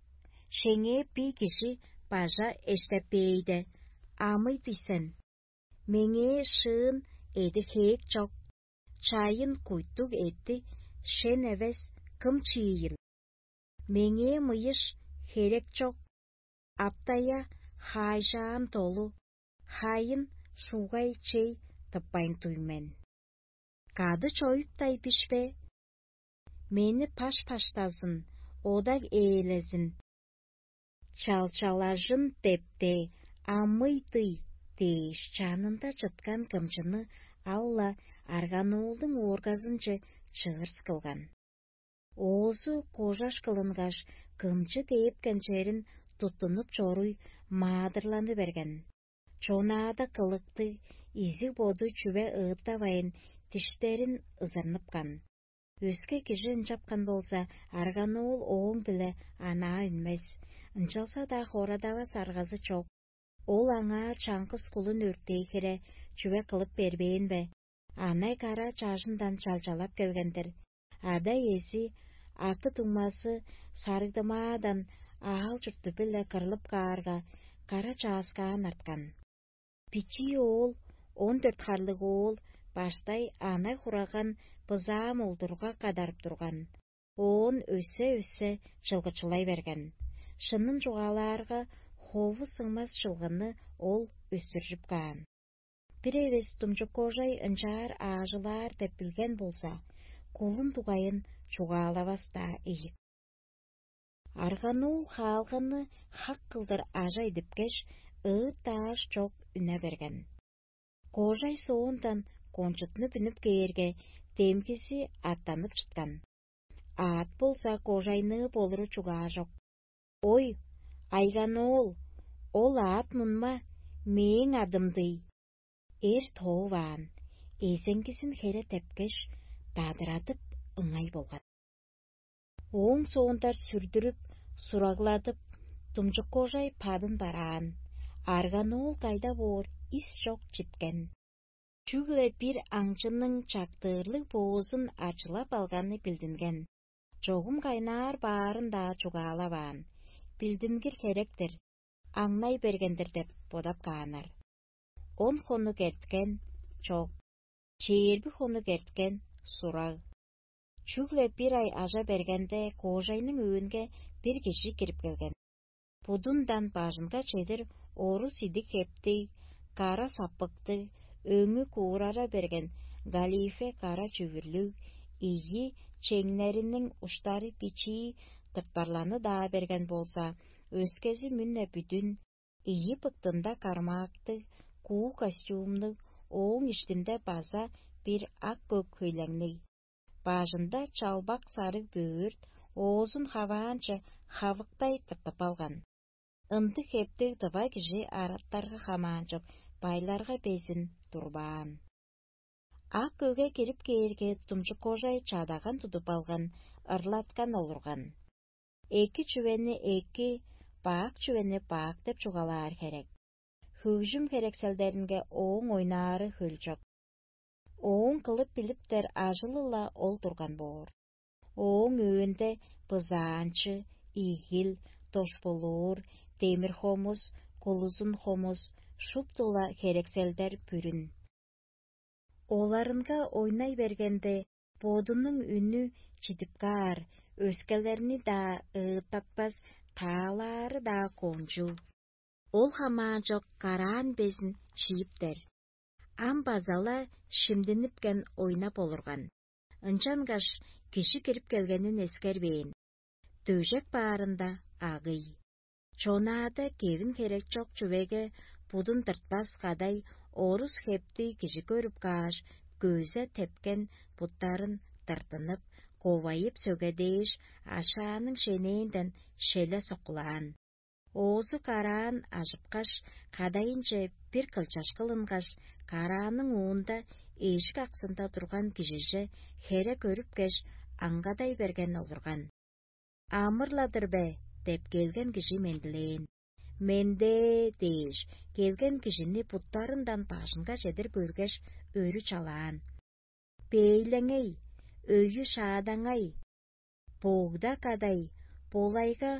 шеңээ бий кижи бажа эштеппээйде, амый дий сен. Меңээ шыын эди хээк чок, чайын куйтуг эди шен эвес кым чиийил? Меңээ мыйыш херек чок, аптая хаайжаам долу, хайын шугай чей тыппайн дуй мен. Кады чоюптай бишпе? Мени паш-паштазын, одаг ээлезин, чалчалажын депте, амый-дый дээш, чанында чыткан кымчыны ал-ла арганоолдуң уургазынче чыырс кылган. Оозу кожаш кылынгаш, кымчы дээпкен черин туттунуп чоруй маадырланы берген. Чонаада кылыктыг, изиг-боду чүве ыыттавайн, диштерин ызырныпкан. Өске кижи ынчапкан болза, арганоол ооң-биле анаа үнмес, ынчалза-даа хорадавас аргазы чок. Ол аңаа чаңгыс кулун өртээ хире чүве кылып бербээн бе? Анай кара чажындан чалчалап келген-дир. Ада-иези, акы-дуңмазы сарыгдымаадан аал-чурту-биле кырлып каарга, кара чааскаан арткан. Бичии оол, он дөрт харлыг оол, баштай анай хураган бызаам олдурга кадарып турган. Оон өссе-өссе чылгычылай берген. Шынын чугаалаарга, хову сыңмас чылгыны ол өстүржүп каан. Бир эвес думчук кожай ынчаар аажылаар деп билген болза, кулун дугайын чугаалавас-даа ийик. Аргануул хаалганы хак кылдыр ажа идипкеш, ыыт-дааш чок үне берген. Кожай соондан кончутнуп үнүп кээрге, демгизи аттанып чыткан. Аът болза кожайныы болуру чугаажок. Ой, айганоол, ол аът мунма мээң адым-дый. Эр тооваан, эзеңгизин хере тепкеш, дадырадып ыңай болган. Ооң соонда сүрдүрүп, сураглатып, думчуккожай падын бараан, арганоол кайда боор ис чок читкен. Чүгле бир аңчының чактыырлыг боозун ачылап алганы билдинген. Чогум кайнаар баарын-даа чугаалаваан, билдингир херек-тир, аңнай берген-дир деп бодап кааннар. Он хонук эрткен — чок, чээрби хонук эрткен — сураг. Чүгле бир ай ажа бергенде, коожайның өөнге бир кижи кирип келген. Будундан бажынга чедир орус идик хептиг, кара саппыктыг, өңү куурара берген галифе кара чүвүрлүг, ийи чеңнериниң уштары бичии тыртпарланы-даа берген болза, өскези мүн-не бүдүн, ийи быктында кармаактыг, куу костюмнуг, ооң иштинде база бир ак-көк хөйлеңниг. Бажында чалбак сарыг бөөрт, оозун хаваанче хавыктай тыртып алган. Ындыг хептиг дыва кижи араттарга хамаанчок, байларга безин турбаан. Ак көге кирип кээрге, думчуккожай чадаган тудуп алган, ырлаткан олурган. Эки чүвени эки, бак чүвени бак деп чугаалаар херек. Хөгжүм херекселдеринге ооң ойнаары хөлчок. Ооң кылып билиптер ажылы-ла ол турган боор. Ооң өөнде бызаанчы, игил, дошпулуур, демир хомус, кулузун хомус, шуптула херекселдер бүрүн. Оларынга ойнай бергенде, бодунуң үнү чидип каар, өскелерни-даа ыыттатпас, таалаары-даа кончуг. Ол хамаан чок караан безин шииптер. Ам база-ла шимдинипкен ойнап олурган. Ынчангаш кижи кирип келгенин эскербээн. Дөжек баарында агый. Чонаада кевин херек чок чүвеге будун тыртпас кадай орус хепти кижи көрүп кааш, көзү тепкен буттарын тыртынып, ковайып сөгедээш, ашааның шенээнден шеле соккулаан. Оозу караан ажыпкаш, кадайынче бир кылчаш кылынгаш, карааның уунда эжик аксында турган кижиже хере көрүпкеш, аңгадай берген олурган. «Амыр-ла-дыр бе?» – деп келген кижи мендилээн. «Менде» – дээш, келген кижини буттарындан бажынга чедир көргеш, өрү чалаан. «Бейлеңей, өйү шаадаңай, богда кадай, болайга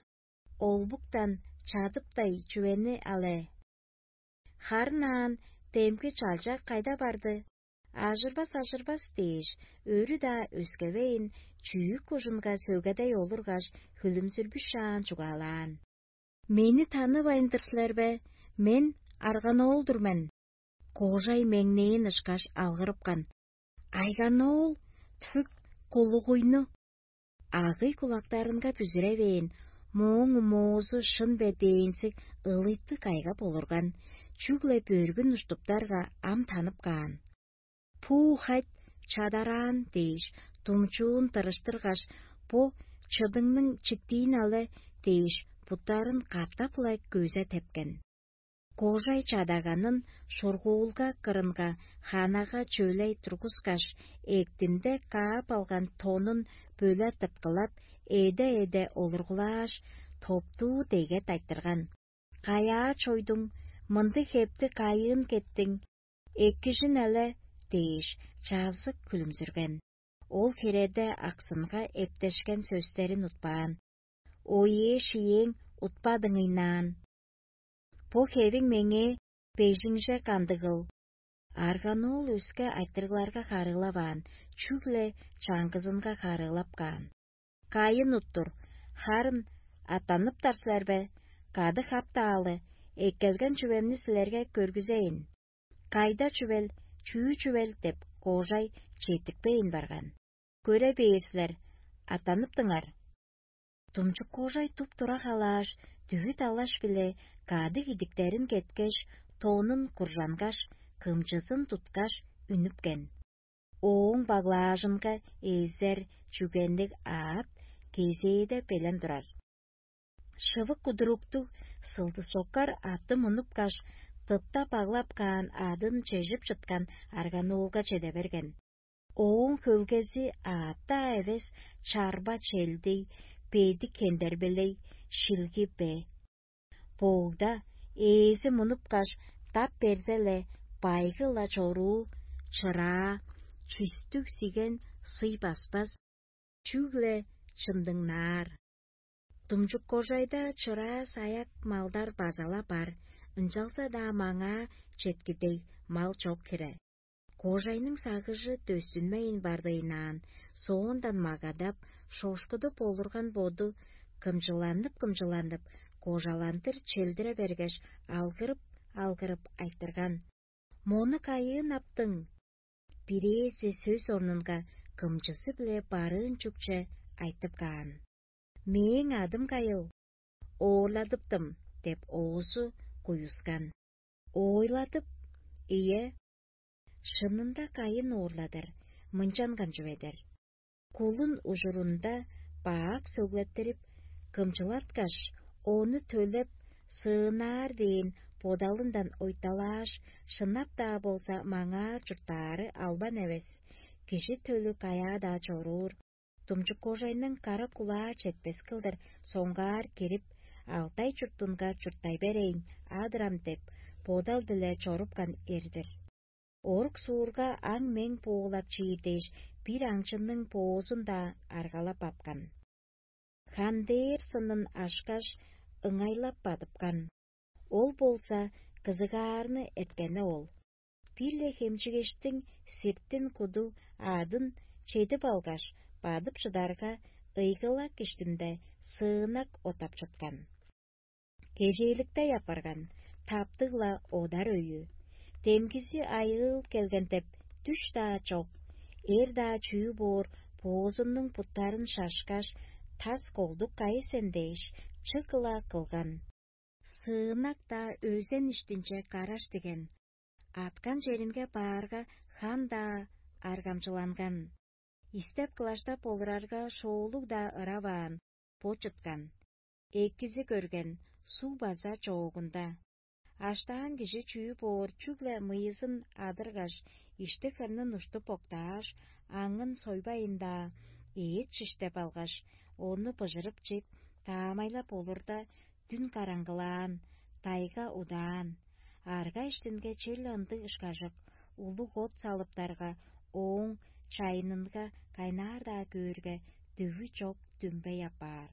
олбуктан чадыптай чүвени але. Харын аан, демги чалча кайда барды? Ажырбас, ажырбас» – дээш, өрү-даа өскевейн, чүүк кужунга сөгедей олургаш, хүлүмзүрбүшаан чугаалаан: «Мени танывайн-дыр силер бе? Мен арган-оол-дур мен». Кожай меңнээн ышкаш алгырыпкан: «Айган-оол, түк кулугуйну!» Агый кулактарынга бүзүревээн, мооң моозу шын бе дээнзиг ылыйтты кайгап олурган, чүгле бөргүн уштуптарга ам танып каан. «Пуу хайт чадараан» – дээш, думчуун тырыштыргаш, «Бо чыдыңның чиктиин але» – дээш, буттарын катап-ла көзү тепкен. Кожай чадаганын шургуулга кырынга ханага чөлей тургускаш, эктинде каап алган тонун бөле тырткылап, эде-эде олургулааш, топтуу деге тайтырган. «Каяа чойдуң, мындыг хепти кайыын кеттиң? Эккижин але» – дээш, чазык хүлүмзүрген. Ол хиреде аксынга эптешкен сөстерин утпаан: «Оие шиээң утпадыңыйнаан. Бо хевиң меңээ бежиңже кандыгыл». Арган-оол өске айтырыгларга харыылаваан, чүгле чаңгызынга харыылап каан: «Кайын уттур, харын аттаныптар силер бе? Кады хаптаалы, эккелген чүвемни силерге көргүзейн. Кайда чүвел, чүү чүвел?» – деп, кожай четтикпейн барган. «Көре бээр силер, аттаныптыңар». Думчук-кожай туп-тура халааш, дүвүт алаш-биле кадыг идиктерин кеткеш, тонун куржангаш, кымчызын туткаш, үнүпкен. Ооң баглаажынга эзер чүгенниг аът кезээде белен турар. Шывык кудуруктуг сылдысоккар атты мунупкаш, тыпта баглап каан адын чежип чыткан арган-оолга чеде берген. Ооң хөлгези аът-даа эвес, чарба челдей, бедик хендербелей, шилги бе. Боогда ээзи мунупкаш, дап берзе-ле, байгы-ла чоруу, чыраа, чүстүг сиген сый баспас, чүгле чымдыңнаар. Думчук-кожайда чыраа-саяк малдар база-ла бар, ынчалза-даа маңаа четкидей мал чок хире. Кожайның сагыжы дөстүнмейн бардыйнаан, соондан магадап, шошкудуп олурган боду кымчыланып-кымчыланып, кожаландыр челдире бергеш, алгырып-алгырып айтырган: «Мону кайыын аптың?» Бирээзи сөс орнунга кымчызы-биле барыын чүкче айтып каан: «Мээң адым кайыл, оорладыптым» – деп, оозу куюскан. «Ойладып, ийе, шынында кайын оорладыр, мынчанган чүве-дир: кулун ужурунда бак сөглеттирип, кымчылаткаш, ону төлеп, сыынаар дээн бодалындан ойталааш, шынап-даа болза, маңаа чурттаары албан эвес, кижи төлү каяа-даа чоруур, думчук-кожайның кара кулаа четпес кылдыр соңгаар кирип, Алтай чуртунга чурттай берейн адырам» – деп, бодал-биле чорупкан эр-дир. Орук суурга аң-мең буулап чиир дээш, бир аңчының боозун-даа аргалап апкан. Хандээр сынын ашкаш, ыңайлап бадыпкан. Ол болза кызыгаарны эрткени ол. Бир-ле хемчигештиң сиртин куду аъдын чедип алгаш, бадып чыдарга, ыйгылак иштинде сыынак отап чыткан. Кежээликтей апарган, таптыг-ла одар өйү. Демгизи айыыл келген деп дүш-даа чок. Эр-даа чүү боор, боозуннуң буттарын шашкаш, тас колдук кайы сен дээш, чык-ла кылган. Сыынак-даа өзен иштинче караш диген. Аткан черинге баарга, хан-даа аргамчыланган. Истеп-кылаштап олурарга, шоолуг-даа ыраваан, бо чыткан. Экизи көрген, суг база чоогунда. Аштаан кижи чүү боор, чүгле мыйызын адыргаш, ишти-хырнын уштуп октааш, аңын сойбайын-даа, эът шиштеп алгаш, ону быжырып чип, таамайлап олурда, дүн караңгылаан, тайга удаан. Арга иштинге черле ындыг ышкажык, улуг от салыптарга, ооң чайынынга кайнаар-даа көөрге, дүвү чок дүмбей апаар.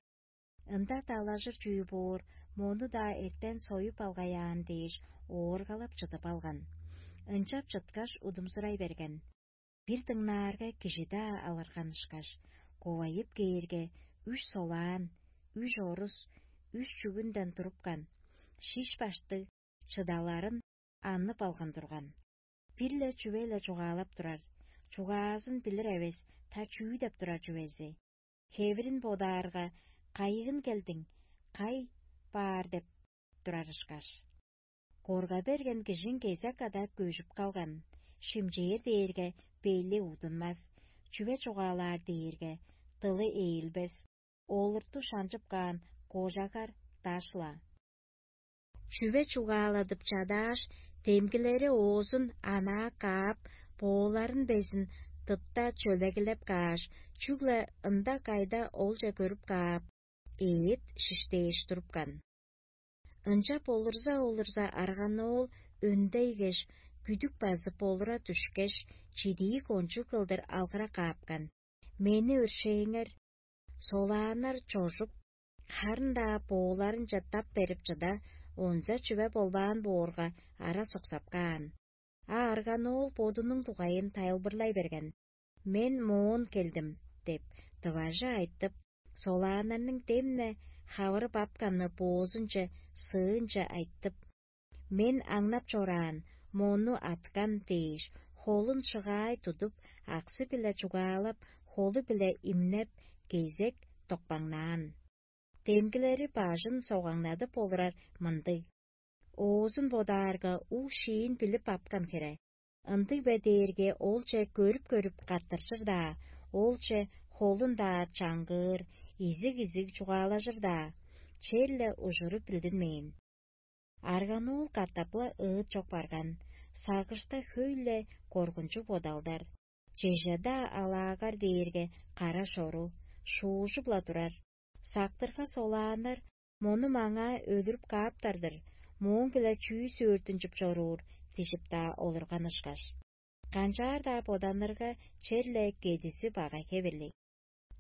Ында далажыр чүү боор, мону-даа эртен союп алгаяан дээш, ооргалап чыдып алган. Ынчап чыткаш, удумзурай берген. Бир дыңнаарга, кижи-даа алырган ышкаш, ковайып кээрге, үш солаан, үш орус, үш чүгүнден турупкан, шиш баштыг, чыдаларын аннып алган турган. Бир-ле чүве-ле чугаалап турар, чугаазын билир эвес, та чүү деп турар чүвези. Хевирин бодаарга, кайыын келдиң, кай баар деп турар ышкаш. Корга берген кижиң кезек када көжүп калган, шимчээр дээрге, бели удунмас, чүве чугаалаар дээрге, дылы ээлбес, олурту шанчып каан кожагар даш-ла. Чүве чугааладып чадааш, демгилери оозун анаа каап, бооларын безин тыпта чөлегилеп кааш, чүгле ында-кайда олче көрүп каап, эът шиштээш турупкан. Ынчап олурза-олурза, арган-оол өндейгеш, күдүк базып олура дүшкеш, чидии кончуг кылдыр алгыра каапкан: «Мени өршээңер!» Солааннар чожуп, харын-даа бооларынче тап берип чыда, онза чүве болбаан боорга, ара соксап каан. А арган-оол бодунуң дугайын тайылбырлай берген: «Мен моон келдим» – деп, тыважы айтып, солааннарның демне хавырып апканны боозунче, сыынче айтып: «Мен аңнап чораан, мону аткан» – дээш, холун шыгаай тудуп, аксы-биле чугаалап, холу-биле имнеп, кезек токпаңнаан. Демгилери бажын согаңнадып олурар мындыг: оозун бодаарга, уг-шиин билип апкан хире. Ындыг бе дээрге, олче көрүп-көрүп каттыржыр-даа, олче холун-даа чаңгыыр, изиг-изиг чугаалажыр-даа, черле ужуру билдинмээн. Арган-оол катап-ла ыыт чок барган, сагышта хөй-ле коргунчуг бодалдар. Чеже-даа алаагар дээрге кара шору, шуужуп-ла турар. Сактырга солааннар: «Мону маңаа өлүрүп кааптар-дыр, мооң-биле чүү сөөртүнчүп чоруур?» – дижип-даа олурган ышкаш. Канчаар-даа боданырга, черле кедизи багай хевирлиг.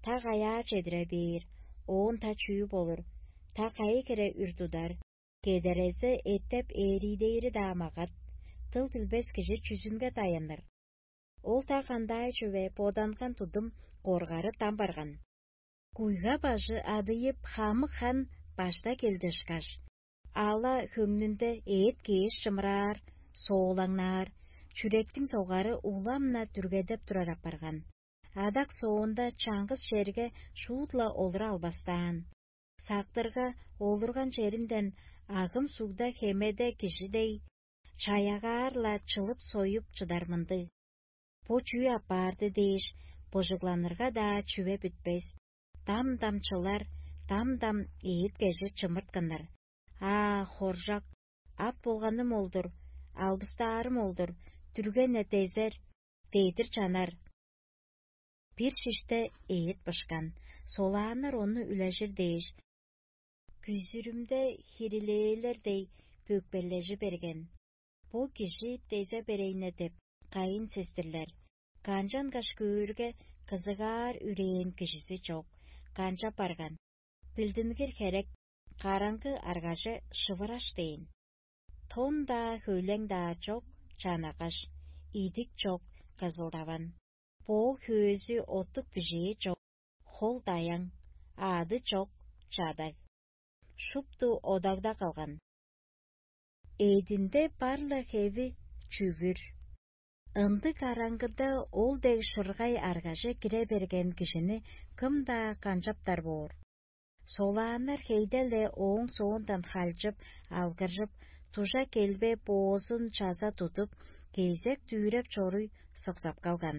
Та каяа чедире бээр, оон та чүү болур, та кайы хире үр тудар, кедерезе эттеп ээриидээри-даа магат, дыл билбес кижи чүзүнге даяныр? Ол та кандай чүве, боданган тудум коргары дам барган. Куйга бажы адыйып, хамык хан башта келдешкаш, ала хөңнүнде эът кээш чымыраар, соолаңнаар, чүректиң согары улам-на дүргедеп турар апарган. Адак соонда чаңгыс черге шуут-ла олура албастаан. Сактырга олурган черинден агым сугда хемеде кижи дег, чаягаар-ла чылып-союп чыдар мындыг. Бо чүү апарды дээш, быжыгланырга-даа чүве бүтпес, дам-дам чылар, дам-дам эът-кежи чымыртканнар. Аа, хоржак, ат болганым ол-дур, албыстаарым ол-дур, дүрген-не дезер, дедир чанар. Бир шиште эът бышкан, солааннар ону үлежир дээш, күзүрүмде хирилээлер дег бөкпележи берген. Бо кижи дезе берейне деп, кайын сестирлер. Канчангаш көөрге, кызыгаар үрээн кижизи чок, канчап барган. Билдингир херек, Караңгы аргаже шывыраш дээн. Тон-даа, хөйлең-даа чок, чанагаш, идик чок, кызылдаван. Боо хөөзү, оттук бижээ чок, хол даяң, аъды чок, чадаг. Шупту одагда калган. Эъдинде бар-ла хеви чүвүр. Ындыг караңгыда ол дег шыргай аргаже кире берген кижини кым-даа канчаптар боор? Солааннар хейде-ле ооң соондан халчып, алгыржып, дужа келбе боозун чаза тудуп, кезек дүүреп чоруй соксап калган.